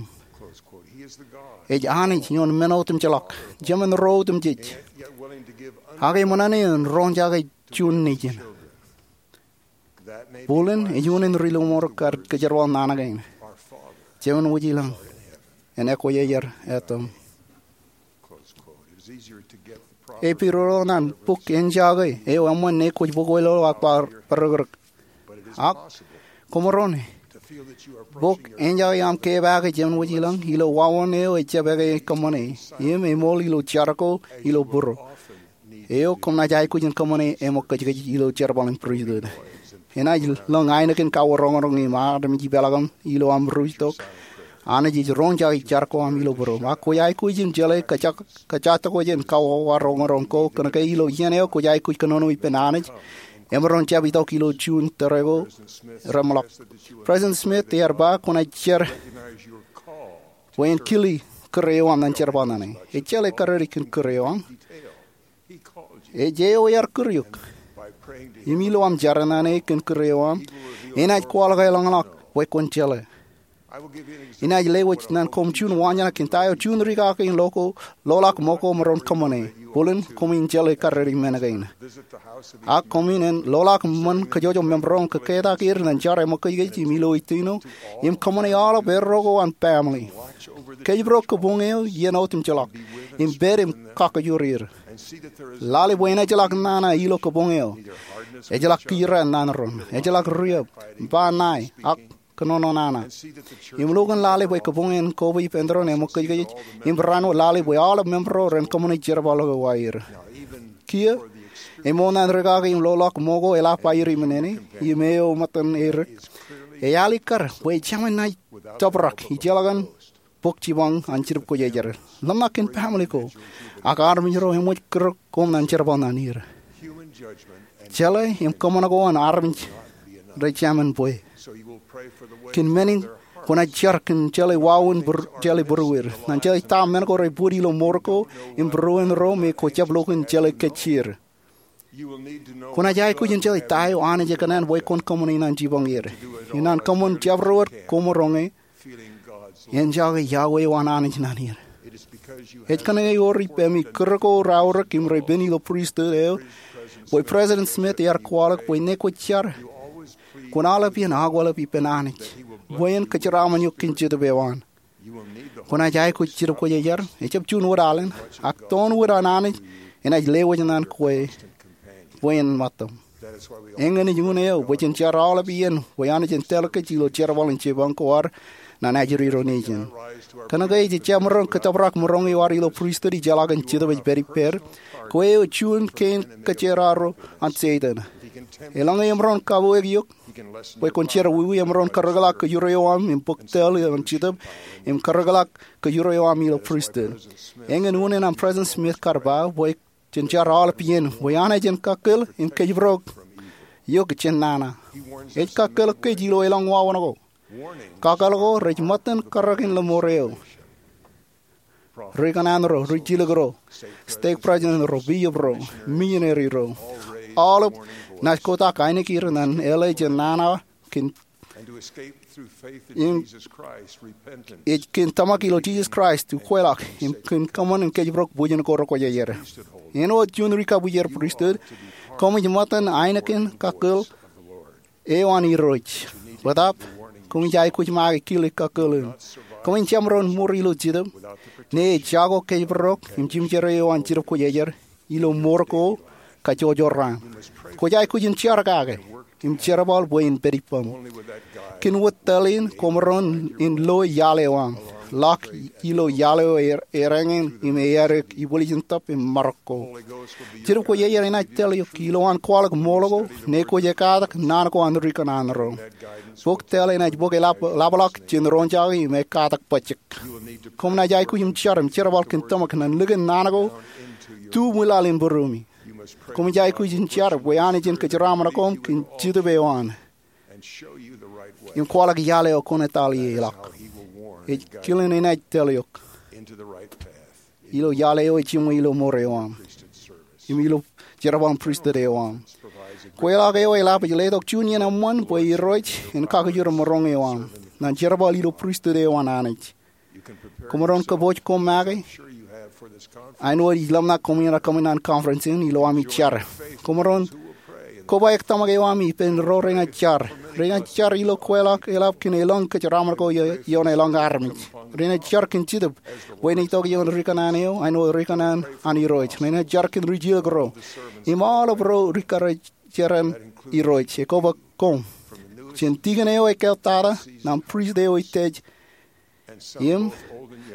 Ej Anij ioon men otemjeḷọk, Jemān ro otemjej, ak eṃōṇōṇō en roñjake juon nejin. Bōlen ej unin ri lọmọọr kar kōjerbal naan kein, Jemān wōj ilọñ en ekwōjarjar etaṃ. Epirōḷọk ñan bok enjake eo eṃṃan ne kwōj bōk wōj lo ak ba bōrōkrōk. Ak koṃaroñ e, bok enjake aṃ kepaake Jemān wōj ilọñ ilo wāween eo ejjab eke kōṃṃane im eṃool ilo jar ko ilo būruō eo kōm naaj aikuj in kōṃṃane eṃōkajkōj ilo jerbal in pristut. Enaaj lōñ ainikien kawaroñroñ im armej ipeḷaakin ilo aṃ ruj tok. Anij ej roñjake jar ko aṃ ilo būruō. Ak kwōj aikuj in jeḷā kōjatdikdik in kawaroñroñ ko kōnke ilo iien eo kwōj aikuj kōnono ippān Anij, emaroñ jab itok ilo juon tōre ko reṃōḷọk. President Smith ear ba kwōnaaj jar bwe en kile kūr eo aṃ ñan jerbal naan e. Ej jeḷā karreoik kōn kūr eo aṃ. Ej eo ear kūr eok. Im ilo aṃ jar naan e kōn kūr eo aṃ, enaaj kwaḷọk eḷañḷọk bwe kwōn jeḷā. Inaaj lewōj ñan koṃ juon waanjoñak kōn ta eo juon rikaki in loḷọk ṃōko maroñ kōṃṃane. Bōlen koṃwin jeḷā karreoik men kein. Ak koṃwin en loḷọk ṃōn kōjwōjwōj member ro im kōketak er ñan jar eṃōkajkōj im ilo ijjino im kōṃṃane aolep erro ko an baaṃle. Kōjparok kōboñ eo iien otemjeḷọk im pād im kakajoor er. Lale bwe en ejjeḷọk nana ilo kōboñ eo, ejjeḷọk kiiō raan naan ro, ejjeḷọk riab, ba ṇae, ak kōnono nana. Im lukkuun lale bwe kōboñ en koba ippān doon eṃōkajkōj im barāinwōt lale bwe aolep member ro ren kōṃṃane jerbal eo aer. Kiiō, eṃool ñan rikaki in loḷọk ṃōko eḷap aer iṃōn ṇe im eo ṃōttan erik, ealikkar bwe ejāmin naaj tōprak ijeḷā kōn bōk jipañ an Jetōb Kwōjarjar. Ḷōmṇak kōn baaṃle ko ak armej ro eṃōj kūr koṃ ñan jerbal naan er. Jeḷā im kōṃṃan ko an armej rej jāmin bwe. Kōn men in, kwōnaaj jar kōn jeḷā wāween jeḷā būrueir, ñan jeḷā ta men ko rej bōd ilo mour ko im būruon ro me kwō jab lukkuun jeḷā kōj er. Kwōnaaj aikuj in jeḷā ta eo Anij ekōṇaan bwe kwōn kōṃṃane ñan jipañ er. Im ñan kōṃṃan jabdewōt koṃaroñ e, enjake iọkwe eo an Anij ñan er. Ej kōnke ewōr ippemi kūr ko raorōk im rej pen ilo pristut eo bwe President Smith ear kwaḷọk bwe ñe kwōj jar, kwōn aolep iien akwālep ippān Anij bwe en kōjeraaṃṃan eok kōn Jetōb eo an. Kwōnaaj aikuj Jetōb Kwōjarjar, ejjab juon wōt alen, ak toon wōt an Anij enaaj lewōj ñan kwe bwe en ṃōttaṃ. Eñin ej unin eo bwe jen jar aolep iien bwe Anij en tōl kōj ilo jerbal in jipañ ko ad ñan ajri ro nejin. Kōnke ejjab maroñ kōtōprak maroñ eo ad ilo pristut ijjeḷọk in Jetōb ej pād ippād, kwe eo juon kein kōjeraaṃṃan ro an Setan. Eḷaññe emaroñ kabuwōk eok bwe kwōn jerọwiwi, emaroñ karreoḷọk kōjro eo aṃ im bōk tōl an Jetōb im karreoḷọk kōjro eo aṃ ilo pristut. Eñin unin aṃ President Smith kar ba bwe jen jar aolep iien bwe Anij en kakkōl im kōjparok eok jān nana. Ej kakkōl kōj ilo elōñ wāween ko. Kakkōl ko rej ṃōttan karreoik in lọmọọr eo. Ri kōṇaan ro, ri jilkinro, stake president ro, bishop ro, missionary ro, aolep naaj kotak ainikien ñan eḷap jān nana kōn im ej kōn tōmak ilo Jisōs Kraist, ukweḷọk im kōn kōṃṃan in kōjparok bwijin ko rekwōjarjar. Āinwōt juon ri kabwijer pristut, koṃij ṃōttan ainikien kakkōl eo an Irooj. Bōtaab, koṃij aikuj make kile kakkōl in. Koṃij jab maroñ mour ilo Jetōb ñe ejako kōjparok im jimjerā eo an Jetōb Kwōjarjar ilo mour ko kajjojo raan. Kwōj aikuj in jar kake im jerbal bwe en pād ippaṃ. Kōn wōt tōl in koṃaroñ in lo iaḷ eo aṃ, ḷọk ilo iaḷ eo ereñin im eadik ibwiljin tōb im marok ko. Jetōb Kwōjarjar enaaj tōl eok ilowaan kwaḷọk ṃool ko ñe kwōj ekkatak naan ko an ri kōṇaan ro. Bok tōl enaaj bōk eḷapḷọk jān roñjake im ekkatak bajjek. Koṃ naaj aikuj im jar im jerbal kōn tōmak ñan likin naan ko tu ṃwilaḷ in būruemi. Koṃij aikuj in jar bwe Anij en kōjeraaṃṃan koṃ kōn Jetōb eo an im kwaḷọk iaḷ eo kwōn etal ie ḷọk. Ej kilen enaaj tōl eok ilo iaḷ eo ejiṃwe ilo mour eo aṃ im ilo jerbal in pristut eo aṃ. Kweilọk eo eḷap ej letok juon iien eṃṃan bwe Irooj en kakijoor mour eo aṃ ñan jerbal ilo pristut eo an Anij. Koṃaroñ kōpooj koṃ make. Āinwōt ij ḷōmṇak koṃ iar kōṃṃan conference in ilo ami jar. Koṃaroñ kobaik tōmak eo ami ippān ro renaaj jar. Renaaj jar ilo kweilọk eḷap kōn elōñ kōjeraaṃṃan ko ioon elōñ armej. Renaaj jar kōn Jetōb bwe en itok ioon ri kōṇaan eo āinwōt ri kōṇaan an Irooj. Renaaj jar kōn ri jilkinro im aolep ro ri karijeran Irooj. Ekōbōk koṃ jān tikōn eo ekkāāltata ñan prist eo ej tōl im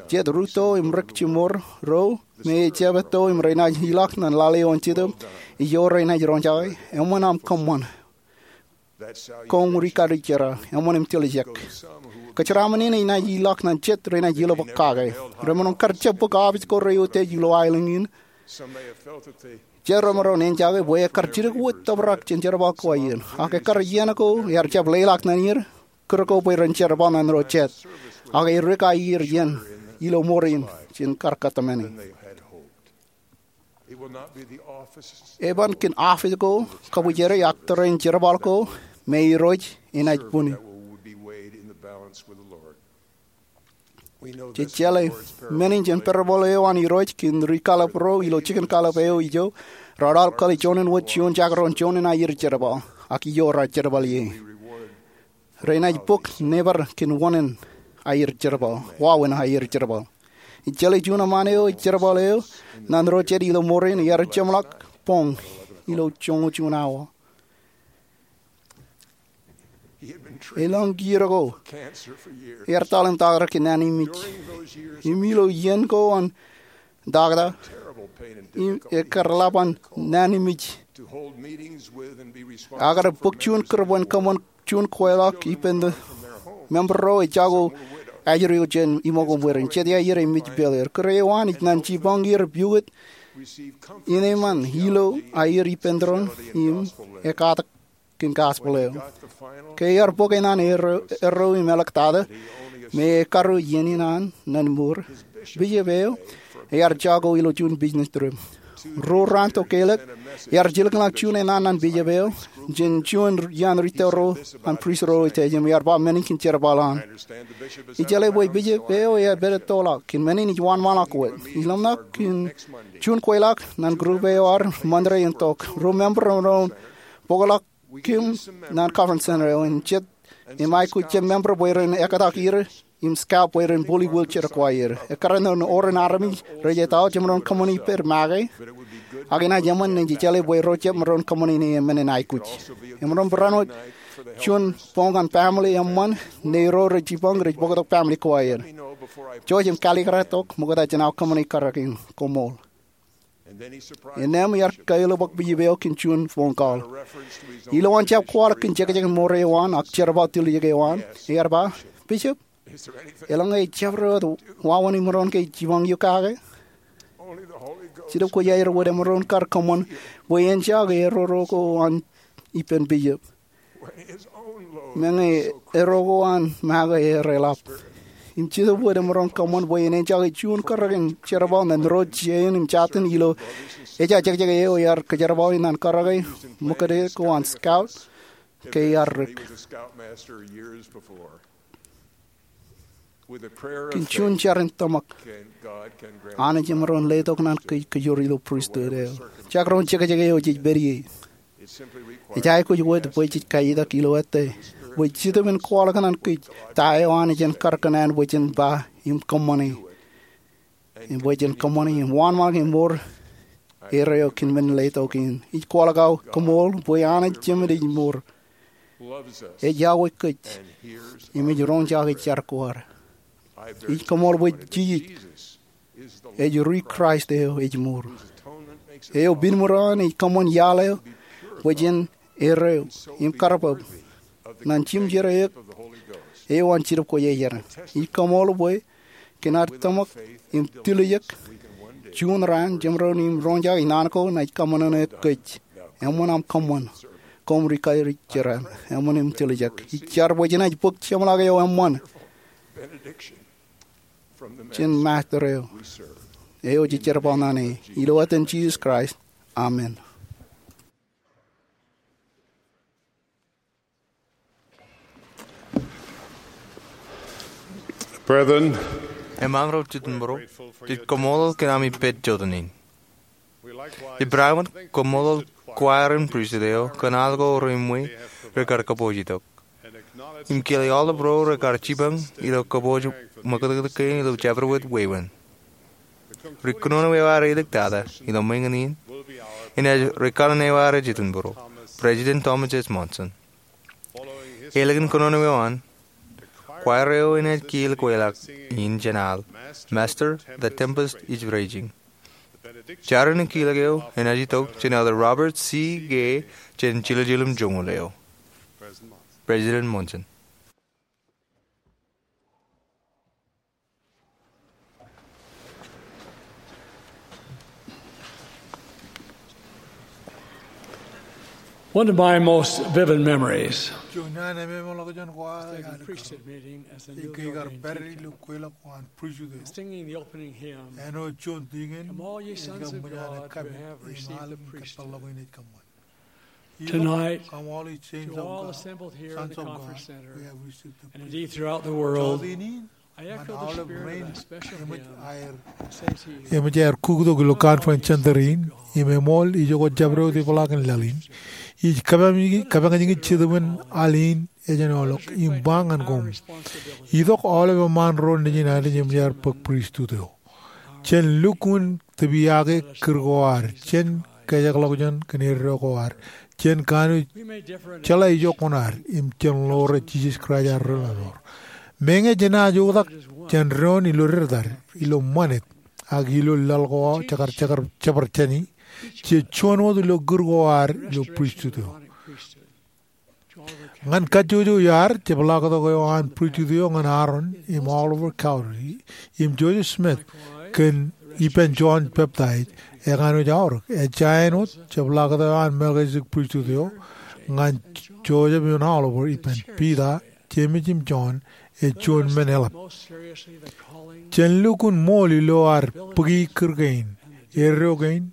jet rūtto im rik jimor ro me ejjab etto im renaaj ilọk ñan lale eo an Jetōb ijo renaaj roñjake. Eṃṃan aṃ kōṃṃan, koṃ ri karijer, eṃṃan im tiljek. Kōjeraaṃṃan in enaaj ilọk ñan jet renaaj ilobōk kake. Remaroñ kar jab bōk office ko reiūtej ilo aelōñ in. Jet remaroñ enjake bwe ekkar jidik wōt tōprak jān jerbal ko aer. Ak ekkar iien ko ear jab leḷọk ñan er kūr ko bwe ren jerbal ñan ro jet. Ak erik aier iien ilo ṃoor in jān kar kōtmāne. Eban kōn office ko kabwijeri ak tōre in jerbal ko me Irooj enaaj bwini. Jej jeḷā men in jān parable eo an Irooj kōn ri kallib ro ilo jikin kallib eo ijo raar kwaḷọk kōn juon in wōt juon jabdewōt juon in aier jerbal, ak ijo raar jerbal ie. Renaaj bōk nōbar kōn wāween aier jerbal, wāween aier jerbal. Ij jeḷā juon eṃṃaan eo ej jerbal eo ñan ro jet ilo ṃoor in ear jeṃḷọk boñ ilo joñoul juon awa. Elōñ kiiō ko ear taḷ im taktō kōn naan in mej. Im ilo iien ko an taktō, im ekkar ḷap an naan in mej, ak ear bōk juon kūr bwe en kōṃṃan juon kweilọk ippān member ro ejako ajri eo jān iṃōk im bwe ren jet aier im mej pād er. Kūr eo an ej ñan jipañ er pukot in eṃṃan ilo aier ippān tōre in im ekkatak kōn gospel eo. Ke ear bōk eṇ an erreo im āliktata me ekaruo iien in an ñan mour, bishop eo ear jako ilo juon business trip. Ruo raan tokālik ear jilkinḷọk juon eṇ an ñan bishop eo jān juon iaan ri tōl ro an prist ro rej tōl im ear ba men in kōn jerbal an. Ij jeḷā bwe bishop eo ear pād ettoḷọk kōn men in ej wōnṃaanḷọk wōt. Ij ḷōmṇak kōn juon kweilọk ñan group eo ad Monday in tok. Ruo member remaroñ bōkḷọk kōm ñan conference center eo im jet im aikuj jab member bwe ren ekkatak er im scout bwe ren bōli wheelchair ko aer. Ekkar ṇe oren armej rej ettoḷọk jemaroñ kōṃṃani pād make, ak enaaj eṃṃan ṇe jej jeḷā bwe ro jab maroñ kōṃṃani ṇe men in aikuj. Emaroñ barāinwōt juon boñ an family eṃṃan ṇe ro rej jipañ rej bōktok family ko aer. Jouj im kalikkar tok ṃokta jān aō kōṃṃani karōk in. Koṃṃool. Innām ear kailōkḷọk bishop eo kōn juon phone call. Ilowaan jab kwaḷọk kōn jekjekin ṃoor eo an ak jerbal tiljek eo an, ear ba, "Bishop, elōñ ke jabdewōt wāween imaroñ ke jipañ eok kake?" Jetōb Kwōjarjar wōt emaroñ kar kōṃṃan bwe en jake erreo ko an ippān bishop. Meñe erreo ko an make ear eḷap. Im Jetōb wōt emaroñ kōṃṃan bwe en enjake juon karōk in jerbal ñan ro jein im jatin ilo ejja jekjek eo ear kōjerbale ñan karōke ṃōkade ko an scout ke ear dik. Kōn juon jar in tōmak, Anij emaroñ letok ñan kōj kōjro ilo pristut eo. Jekdọọn jekjek eo jej pād ie. Ej aikuj wōt bwe jej kaitak ilo ettā bwe Jetōb en kwaḷọk ñan kōj ta eo Anij en kar kōṇaan bwe jen ba im kōṃṃane, im bwe jen kōṃṃane im wōnṃaanḷọk e mour erreo kōn men in letok in. Ij kwaḷọk aō koṃṃool bwe Anij Jemān ej mour. Ej iọkwe kōj im ej roñjake jar ko ad. Ij koṃṃool bwe Jisōs ej ri Kraist eo ej mour, eo pinmuḷ an ej kōṃṃan iaḷ eo bwe jen erreo im karbab ñan jimjer eok eo an Jetōb Kwōjarjar. Ij koṃṃool bwe kōn ad tōmak im tiljek, juon raan jemaroñ im roñjake naan ko enaaj kōṃṃan eok kōj. Eṃṃan aṃ kōṃṃan, koṃ ri karijer an. Eṃṃan im tiljek. Ij jar bwe jenaaj bōk jeṃḷọk eo eṃṃan jān Master eo, eo jej jerbal ñan e. Ilo etan Jisōs Kraist, amen. Brethren, emaroñ jitōnbōro, jej kaṃṃoolol kōn ami pād jota in. Ippān aṃ kaṃṃoolol choir in pristut eo kōn al ko rein ṃwe rekar kōpooj itok im kile aolep ro rekar jipañ ilo kōpooj ṃakūtkūt kein ilo jabdewōt wāween. Ri kōnono eo ear āliktata ilo ṃweñin in enaaj ri kanaan eo ear jitōnbōro, President Thomas S. Monson. Ālikin kōnono eo an, choir eo enaaj kiil kweilọk in jān al, Master, the Tempest is Raging. Jar in kilōk eo enaaj itok jān Elder Robert C. Gay jān jiljilimjuon joñoul eo. President Monson. One of my most vivid memories Juon iaan ememeḷọkjeṇ ko aō is taking priesthood meeting as a newly ej ke kar ordained pād ilo deacon, kweilọk ko an pristut eo. Singing the opening hymn, āinwōt juon tikōn, "Come, all ye sons of God who have received the priesthood." Ej kōṃṃan ālikin kōtḷọk in ej kōṃṃan. Tonight, to all assembled here in the Conference Center, and indeed throughout the world, I echo the spirit of that special hymn, Says He Who. Eṃōj aer kuktok ilo Conference Center in im eṃool ijoko jabdewōt ipḷaakin laḷ in. Ij kōpañ, kōpañjake Jetōb in al in ejenoḷọk im ba ñan koṃ, itok aolep eṃṃaan ro nejin Anij eṃōj aer bōk pristut eo. Jen lukkuun tūpiyake kūr ko ad, jen kajekḷọkjeṇ kōn eddo ko ad, jen kanooj jeḷā ijo kuṇaad, im jen ḷoore Jisōs Kraist ad ri-lọmọọr. Meñe jenaaj oktak jān doon ilo dettad, ilo ṃanit, ak ilo laḷ ko aō jekar, jekar, jepar jāni, jej juon wōt ilo kūr ko ad ilo pristut eo. Ñan kajjojo iaad, jepḷaaktok eo an pristut eo ñan Aaron im Oliver Cowdery im Joseph Smith kōn ippān John Baptist, ekanooj aorōk. Ej jañin wōt jepḷaaktok eo an Melchizedek pristut eo ñan Joseph im Oliver ippān Peter, James im John, ej juon men eḷap. Jen lukkuun ṃool ilo ad bōki kūr kein, eddo kein,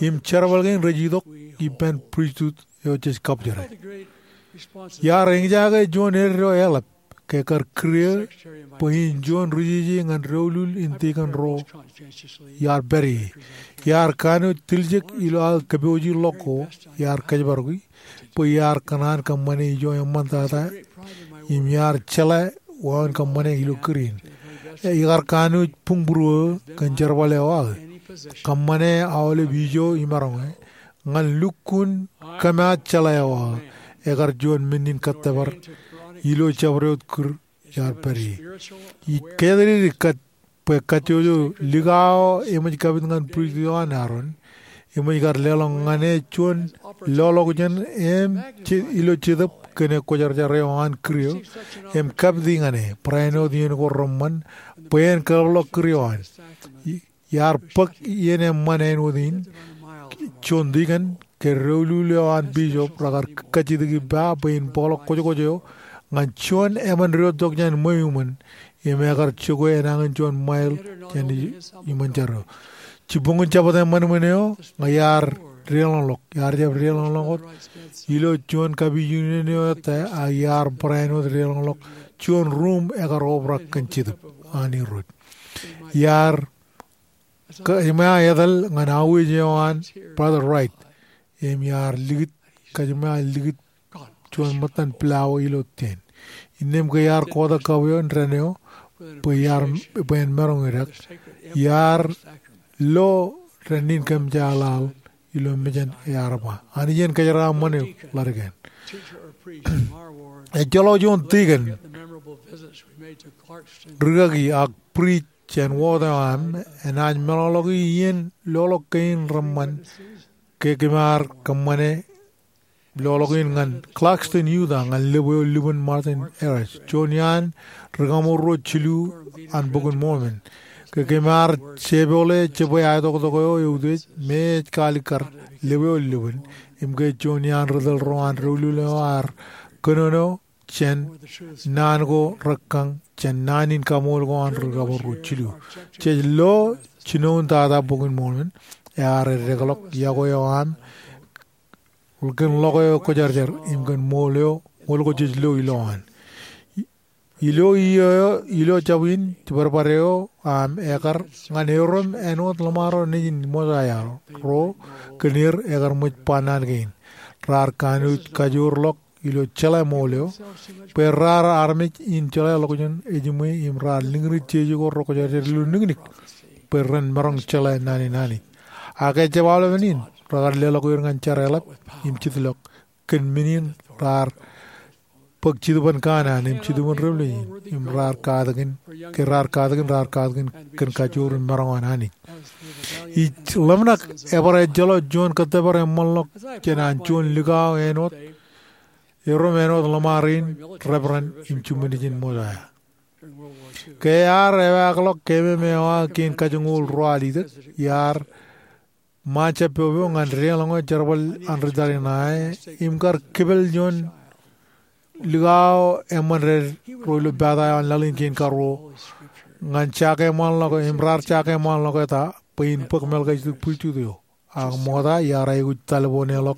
im jerbal kein rej itok ippān pristut eo jej kabjere. Iar eñjake juon eddo eḷap ke kar kūr eō bwe in juon ri jeje ñan doulul in tikōn ro iar pād ie. Iar kanooj tiljek ilo aō kōpooji ḷọk ko iar kōjparoki bwe iar kōṇaan kōṃṃane ijo eṃṃantata im iar jeḷā wāween kōṃṃane ilo kūr in. Ikar kanooj buñbūruō kōn jerbal eo aō. Kōṃṃane aolep ijo imaroñe ñan lukkuun kōmaat jeḷā eo aō. Ekar juon men in kōttōpar ilo jabdewōt kūr iar pād ie. Ij kōjatdikdik kōn bwe kajjojo likao eṃōj kapit ñan pristut eo an Aaron, eṃōj kar leḷọk ñan e juon loḷọkjeṇ im je-, ilo Jetōb kōn e kwōjarjar eo an kūr eo, im kapiti ñan e, barāinwōt iien ko reṃṃan, bwe en kōḷapḷọk kūr eo an. I-, iar bōk iien eṃṃan āinwōt in, juon tikōn, ke doulul eo an bishop rekar kajjitōk ippa bwe in bōkḷọk kwōjkwōj eo ñan juon emān diwōjtok jān ṃweo iṃōn, im ekar jokwe enañin juon mile jān i-, iṃōn jar eo. Jibboñin Jabōt eṃṃan eo ñe iar deḷọñḷọk, iar jab deḷọñḷọk wōt ilo juon kapijuknen eo ettā, ak iar barāinwōt deḷọñḷọk juon ruum ekar obrak kōn Jetōb an Irooj. Iar kōjmā etal ñan auwij eo an Brother Wright, im iar likūt, kōjmā likūt juon ṃōttan pila eo ilo ten. Innām ke iar kotak kab eo indeeo, bwe iar, bwe en maroñ idak, iar lo dān in kōmjaaḷaḷ ilo mejān ear ba. Anij en kōjeraaṃṃan eok ḷaddik in. Ejjeḷọk juon tikōn rūkaki ak priest jān wōt eo aṃ enaaj meḷọkḷọki iien loḷọk kein reṃṃan ke kōm ar kōṃṃane loḷọk in ñan Clarkston, Utah, ñan lōb eo lubin Martin Harris, juon iaan ri-kaṃool ruo jilu an Bok in Mormon. Ke kōm ar jepole jebwe aetoktok eo eutiej me ej kaalikkar lōb eo lubin, im ke juon iaan ri-tōl ro an doulul eo ear kōnono jān naan ko rekkañ jān naan in kaṃool ko an ri-kaṃool ruo jilu. Jej lo jinoin tata Bok in Mormon, ear eddekḷọk yokwe eo aṃ kōn ḷọk eo kwōjarjar im kōn ṃool eo, ṃool ko jej lo ilowaan. Ilo iiō eo, ilo jab in, jibadbad eo aṃ ekar ñan erom āinwōt ḷōṃaro nejin Mosaia ro kōn er ekar ṃōj ba naan kein. Raar kanooj kajoorḷọk ilo jeḷā ṃool eo bwe raar armej in jeḷā ḷọkjeṇ ejiṃwe im raar liñrij jeje ko rekwōjarjar ilo niknik bwe ren maroñ jeḷā naan in Anij. Ak ejjab aolepen in, rekar leḷọk er ñan jar eḷap im jitḷọk kōn men in raar bōk Jetōb in Kanaan im Jetōb in Revelation im raar katakin, ke raar katakin, raar katakin kōn kajoor im maroñ an Anij. Ij ḷōmṇak ebar ejjeḷọk juon kōttōpar eṃṃanḷọk jān an juon likao āinwōt, erom āinwōt ḷōṃaro in, Reverend im Jimṃinijin Mosaia. Ke ear ewaakḷọk keememeo aō kein kajoñoul ruo alitek, iar ṃae jab popo ñan deḷọñ eo jerbal an ri tariṇae im kar kipel juon likao eṃṃan deḷọñ ro ilo pata eo an laḷ in kein karuo ñan jakeṃṃanḷọk, im raar jakeṃṃanḷọk eta bwe in bōk Melchizedek Pristut eo. Ak ṃokta iar aikuj taliboneḷọk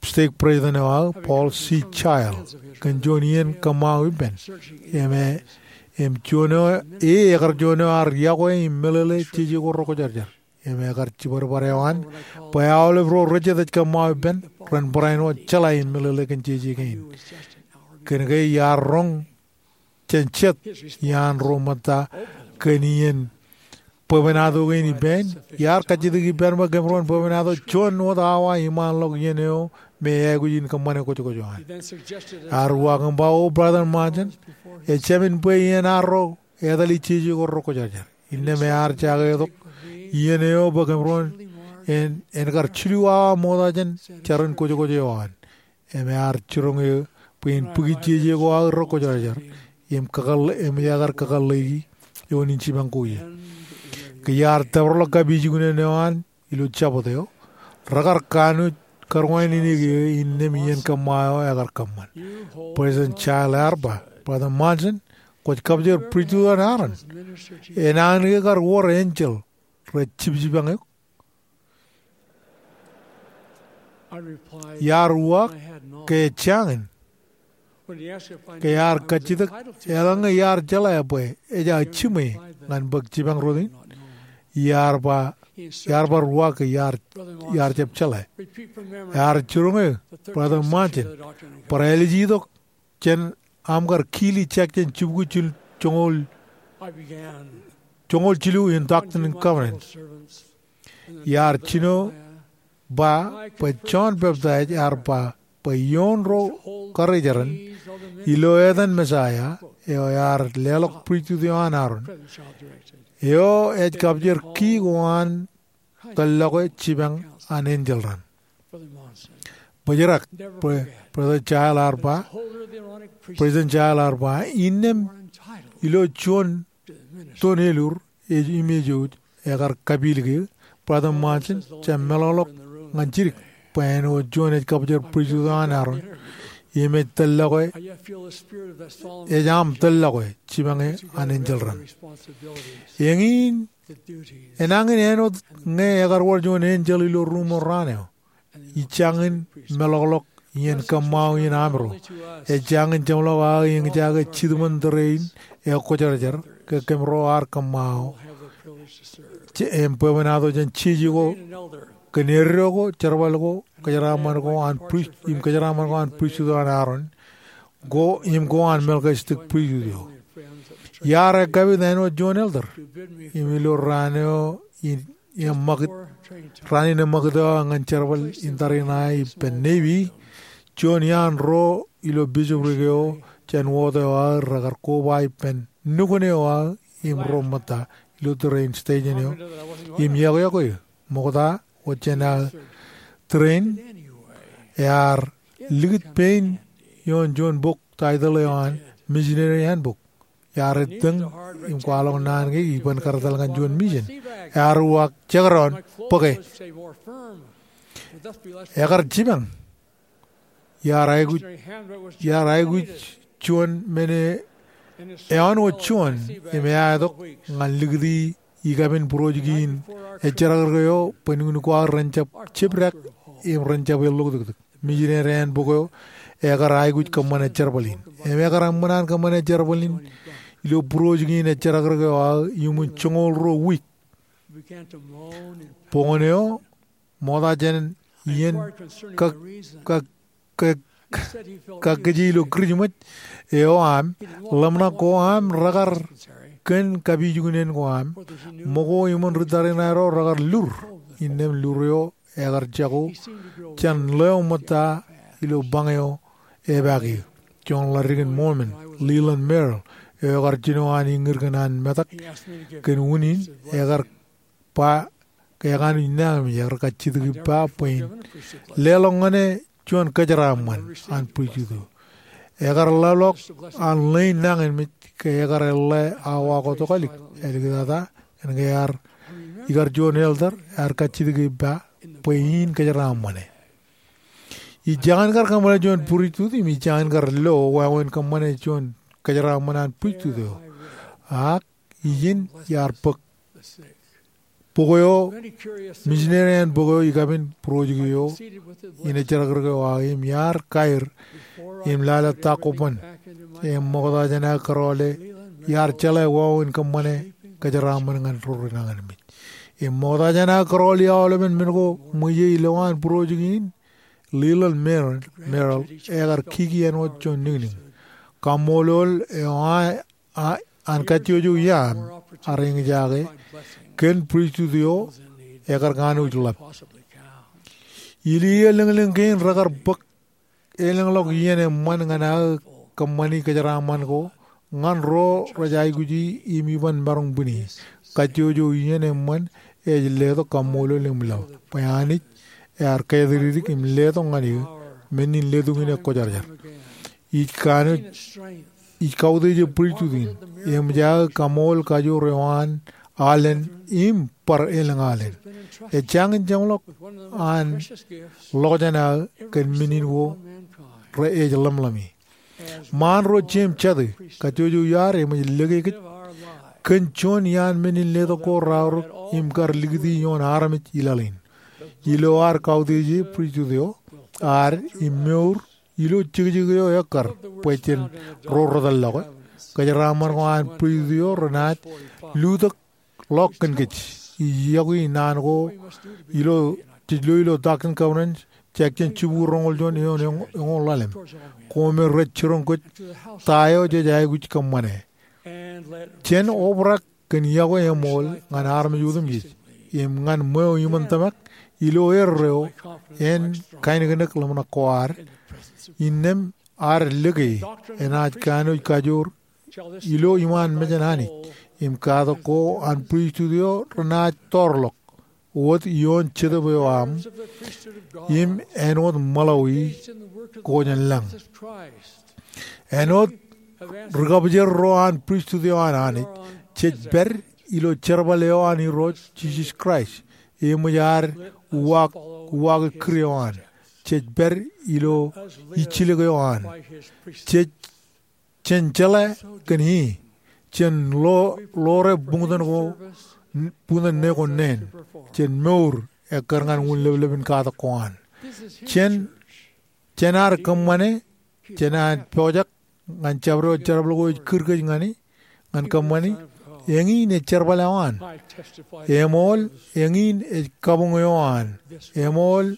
stake president eo aō, Paul C. Child, kōn juon iien kōṃṃao ippān. Im e, im juon eo, e ekar juon eo ear yokwe im meḷeḷe jeje ko rekwōjarjar. Im ekar jibadbad eo an bwe aolep ro rej jet ej kōṃṃao ippān ren barāinwōt jeḷā im meḷeḷe kōn jeje kein. Kōn ke iar roñ jān jet iaan ro ṃōtta kōn iien bwebwenato kein ippān, iar kajjitōk ippān bwe kōmro en bwebwenato juon wōt awa iṃaanḷọk iien eo me aikuj in kōṃṃane kwōjkwōj eo an. Ear uwaak im ba, O Brother Monson, ejāmin bwe iien arro etale jeje ko rekwōjarjar. Innām ear jaketok iien eo bwe kōmro en, en kar jilu awa ṃokta jān jarin kwōjkwōj eo an. Im ear jiroñ eō bwe in bōki jeje ko aō rekwōjarjar im kakōḷḷe, im ekar kakōḷḷeiki eoon in jipañ ko ie. Ke iar tōparḷọk kapijuknen eo an ilo Jabōt eo, rekar kanooj karuwainene ke innām iien kōṃṃao eo ekar kōṃṃan. President Child ear ba, Brother Monson, kwōj kapjer pristut an Aaron. Enañin ke kar wōr enjeḷ rej jibjibañ eok? Iar uwaak ke ejjañin. Ke ear kajjitōk eḷaññe iar jeḷā bwe ejja jiṃwe ñan bōk jipañ rot in, iar ba, iar bar uwaak ke iar, iar jab jeḷā. Ear jiroñ eō, Brother Monson, bar ālij itok jān aṃ kar kili Jackson jibukwi jil joñoul, joñoul jilu in Doctrine and Covenants. Iar jino ba bwe Jon Peptaij ear ba bwe ioon ro karijeran ilo etan Messiah eo ear leḷọk pristut eo an Aaron, eo ej kapjer ki ko an tōllọke jipañ an enjeḷ raṇ. Bōjrak, Pre-, President Child ear ba, President Child ear ba, innām ilo juon toon elur ej im ej wōj, ekar kapilōk eō, Brother Monson, jab meḷọkḷọk ñan jidik bwe āinwōt juon ej kapjer pristut eo an Aaron, im ej tōllọke, ej aṃ tōllọke jipañ an enjeḷ raṇ. Eñin, enañin āinwōt ñe ekar wōr juon enjeḷ ilo ruuṃ eo raan eo, ij jañin meḷọkḷọk iien kōṃṃao in amro. Ej jañin jeṃḷọk aō eñjake jitōṃōn tōre in ekwōjarjar ke kōmro ar kōṃṃao im bwebwenato jān jeje ko kōn eddo ko, jerbal ko, kōjeraaṃṃan ko an prist, im kōjeraaṃṃan ko an pristut eo an Aaron, ko im ko an Melchizedek pristut eo. Iar ekkapit āinwōt juon elder im ilo raan eo in eṃṃakūt, raan in eṃṃakūt eo aō ñan jerbal in tariṇae ippān Navy, juon iaan ro ilo bisoprik eo jān wōt eo aō rekar koba ippān nukun eo aō im ro ṃōtta ilo tōre in station eo im iọkwe eō. Ṃokta wōt jān aō tōre in ear likūt pein ioon juon bok title eo an Missionary Handbook. Iar ettōñ im kwaḷọk naan ke iban kar etal ñan juon mission. Ear uwaak, jekdọọn, bōke. Ekar jipañ. Iar aikuj, iar aikuj juon men eo āinwōt juon im eaetok ñan likūti ikabin būrooj kein ejjeḷọk eo bwe nuknuk ko aō ren jab jepdak im ren jab elloktōktōk. Missionary Handbook eo ekar aikuj kōṃṃane jerbal in. Im ekar eṃṃan an kōṃṃane jerbal in ilo būrooj kein ejerakrōk eo aō iuṃwin joñoul ruo wiik. Bok eo ṃokta jān iien kak, kak, kak, kakkije ilo Kūrijṃōj eo aṃ, ḷōmṇak ko aṃ rekar kōn kapijuknen ko aṃ, ṃōko im ri tariṇae ro rekar lur, innām lur eo ekar jako jān ḷeo ṃōtta ilo bañ eo epaak eō. Juon ḷaddik in Mormon, Leland Merrill, eo ekar jino an iññid kōn an metak kōn unin, ekar ba ke ekanooj nañinmej, ekar kajjitōk ippa bwe in leḷọk ñan e juon kōjeraaṃṃan an priesthood eo. Ekar leḷọk an ḷein nañinmej ke ekar eḷḷā awa ko tokālik, āliktata, kōn ke ear ikar juon elder, ear kajjitōk ippa bwe in kōjeraaṃṃan e. Ij jañin kar kōṃṃane juon priesthood im ij jañin kar lo wāween kōṃṃane juon kōjeraaṃṃan an priesthood eo. Ak ijin iar bōk bok eo, misineri eo an bok eo, ikabin būrooj eo in ejerakrōk eo aō, im iar kaer im lale ta ko ban. Im ṃokta jān aō kōrọọle, iar jeḷā wāween kōṃṃane kōjeraaṃṃan ñan ro renañinmej. Im ṃokta jān aō kōrọọl i aolepen men ko ṃweiie ilowaan būrooj kein, Leland Merrill, Merrill, ekar kiki āinwōt juon niñniñ. Kaṃṃoolol eo an an kajjojo iaam ar eñjake kōn priesthood eo ekar kanooj ḷap. Ilo iiō lōñlōñ kein rekar bōk elōñḷọk iien eṃṃan ñan aō kōṃṃani kōjeraaṃṃan ko ñan ro rej aikuji im iban maroñ bwini. Kajjojo iien eṃṃan ej letok kaṃṃoolol im ḷap bwe Anij ear kātidikdik im letok ñan eō men in letok in ekwōjarjar. Ij kanooj, ij kautiej priesthood in, eṃōj aō kaṃool kajoor eo an alen im bar elōñ alen. Ej jañin jeṃḷọk an ḷokjeṇ aō kōn men in ko rej ḷōmṇaki. Ṃaan ro jeiū im jatū, kajjojo iaar eṃōj lōke kōj kōn juon iaan men in letok ko raorōk im kar likūti ioon armej i laḷ in. Ilo ad kautieje priesthood eo ad im mour ilo jekjek eo ekkar bwe jen ro rej tōllọke, kōjeraaṃṃan ko an priesthood eo renaaj lutōkḷọk kōn kōj. Ij yokwe naan ko ilo, jej lo ilo Doctrine and Covenants, section jibukwi roñoul juon eoon eñ-, eñoul ḷalem. Koṃ rej jiroñ kōj ta eo jej aikuj kōṃṃane. Jen obrak kōn yokwe eṃool ñan armej otemjej im ñan ṃweo iṃōn tōmak ilo erreo en kainōknōk ḷōmṇak ko ad, innām ad lōke enaaj kanooj kajoor ilo iṃaan mejān Anij im katak ko an priesthood eo renaaj toorḷọk wōt ioon Jetōb eo aṃ im āinwōt ṃōḷawi ko jān lañ. Āinwōt ri-kabjer ro an priesthood eo an Anij, jej pād ilo jerbal eo an Irooj Jisōs Kraist, eṃōj ad uwaak, uwaake kūr eo an. Jej pād ilo ijjilōk eo an. Jej, jen jeḷā kōn e, jen ḷo-, ḷoore buñtōn ko, buñtōn ne ko neen. Jen mour ekkar ñan wūnlōpḷōp in katak ko an. Jen, jen ad kōṃṃane, jen ad pojak ñan jabdewōt jerbal ko ej kūr kōj ñan e, ñan kōṃṃani. Eñin ej jerbal eo an. Eṃool, eñin ej kabuñ eo an. Eṃool,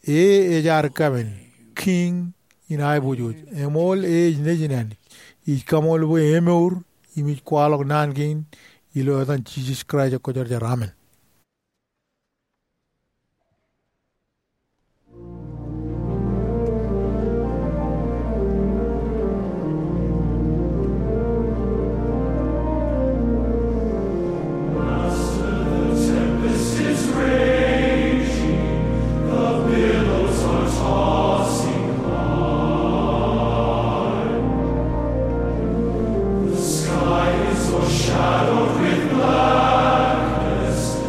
e ej ad kapen, Kiiñ in aiboojoj. Eṃool, e ej Nejin Anij. Ij kaṃool bwe emour im ij kwaḷọk naan kein ilo etan Jisōs Kraist Kwōjarjar, amen. The sky is o'ershadowed with blackness.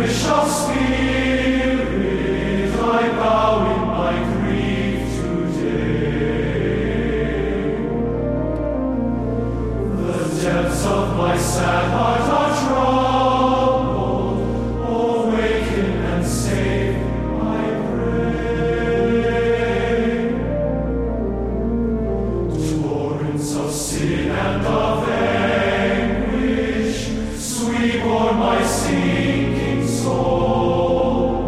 Shall spirit, I bow in my grief today. The depths of my sad heart are troubled. Awaken and save, I pray. Torrents of sin and of anguish sweep o'er my sinking soul.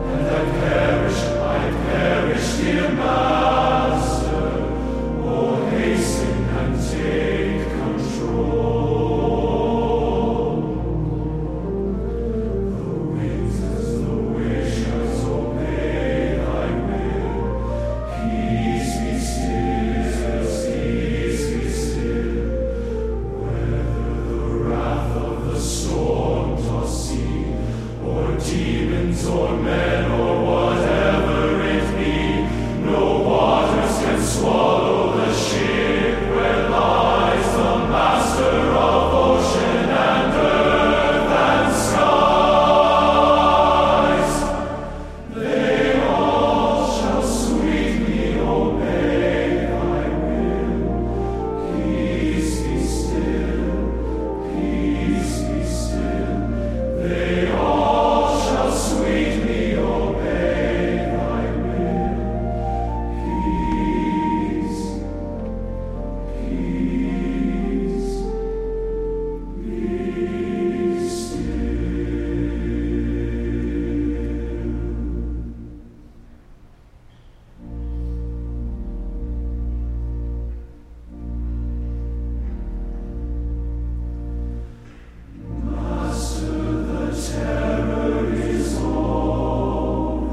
And I perish, I perish, dear Master. Oh, hasten and take control. The winds and the waves obey thy will. Peace be still, peace be still. Whether the wrath of the storm-tossed sea, or demons, or men, or whatever it be, no waters can swallow the ship where lies the Master of ocean and earth and skies. They all shall sweetly obey thy will. Peace be still, peace be still. They all shall sweetly obey thy will. Peace, peace, peace still. Master, the terror is over,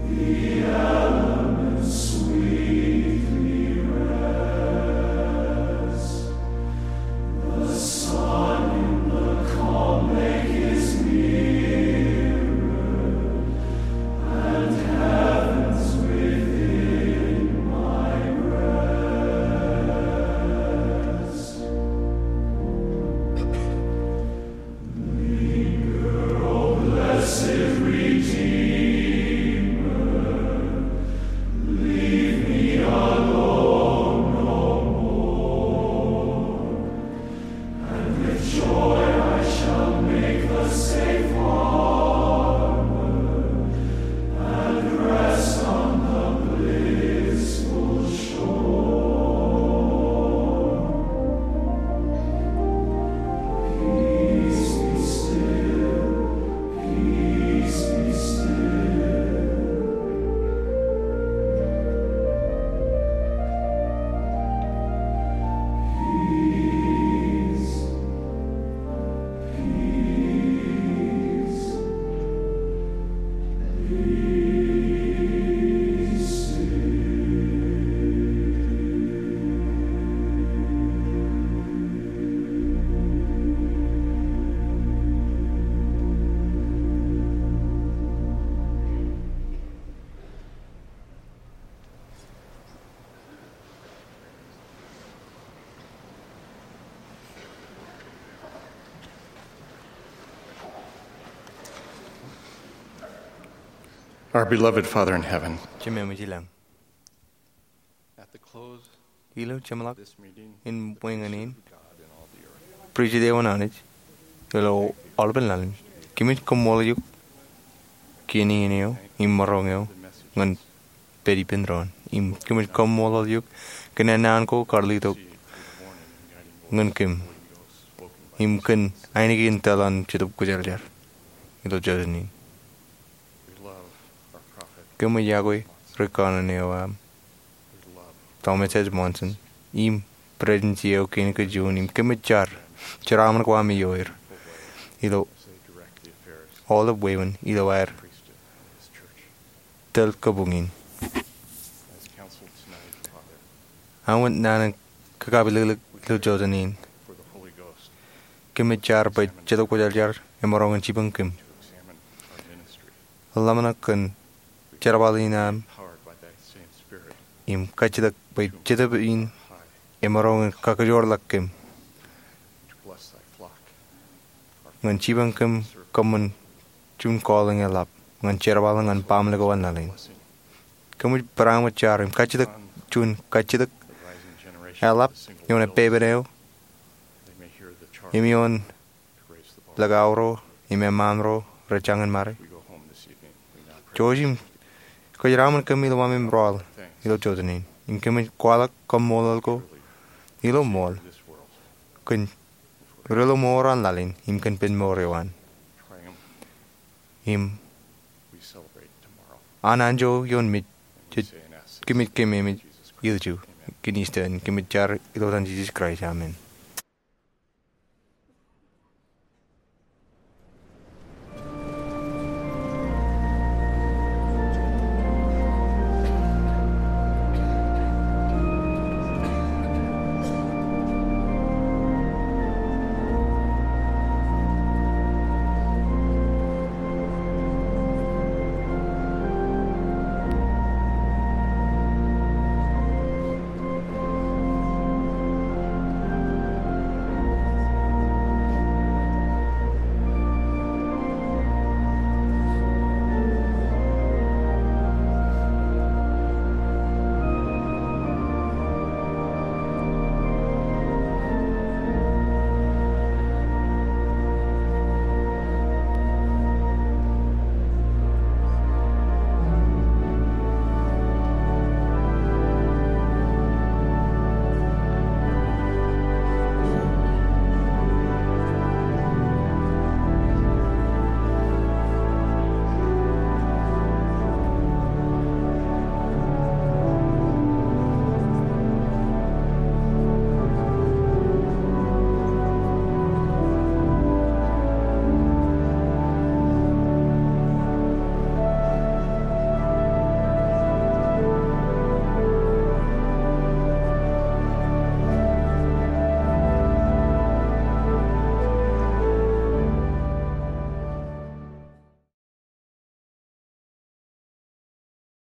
the elements sweetly rest. The sun in the calm lake is mirrored, and heaven's within my breast. Linger, O blessed Redeemer, leave me alone no more. And with joy I shall make the safe harbor, and rest on the blissful shore. Peace be still, peace be still. Peace, peace, peace still. Our beloved Father in heaven, Jemem ej ilañ. At the close Ilo jeṃḷọk in ṃwiin in, priesthood eoon Anij ilo aolepen ḷalem, kōmij kaṃṃoolol eok kien iien eo im maroñ eo ñan pād ippān doon. Im kōmij kaṃṃoolol eok kōn ennaan ko kar letok ñan kōm im kōn ainikien tōl an Jetōb Kwōjarjar ilo jọteen in. Kōm ej yokwe ri kanaan eo aṃ, Thomas S. Monson, im Presidensi eo kein kajjojo in, im kōm ej jar jeraaṃṃan ko aṃ ioer ilo aolep wāween ilo aer tōl kabuñ in. Āinwōt naan in kakapelōklōk ilo jọteen in, kōm ej jar bwe Jetōb Kwōjarjar emaroñ in jipañ kōm. Ḷōmṇak kōn jerbal in aṃ im kajjitōk bwe Jetōb in emaroñ in kakōjorḷọk kōm ñan jipañ kōm kōṃṃan juon calling eḷap ñan jerbal ñan baaṃle ko an laḷ in. Kōmij barāinwōt jar im kajjitōk juon kajjitōk eḷap ioon epepen eo im ioon likao ro im eṃṃaan ro rej jañin ṃare. Jouj im kōjeraṃōn kōm ilo ṃōṃ im rọọl ilo jota in, im kōmij kwaḷọk kaṃṃoolol ko ilo ṃool kōn ri-lọmọọr an laḷ in im kōn pen mour eo an. Im an anjọ ioon mej, jej kōmij kememej ilju kōn Easter in, kōmij jar ilo etan Jisōs Kraist, amen.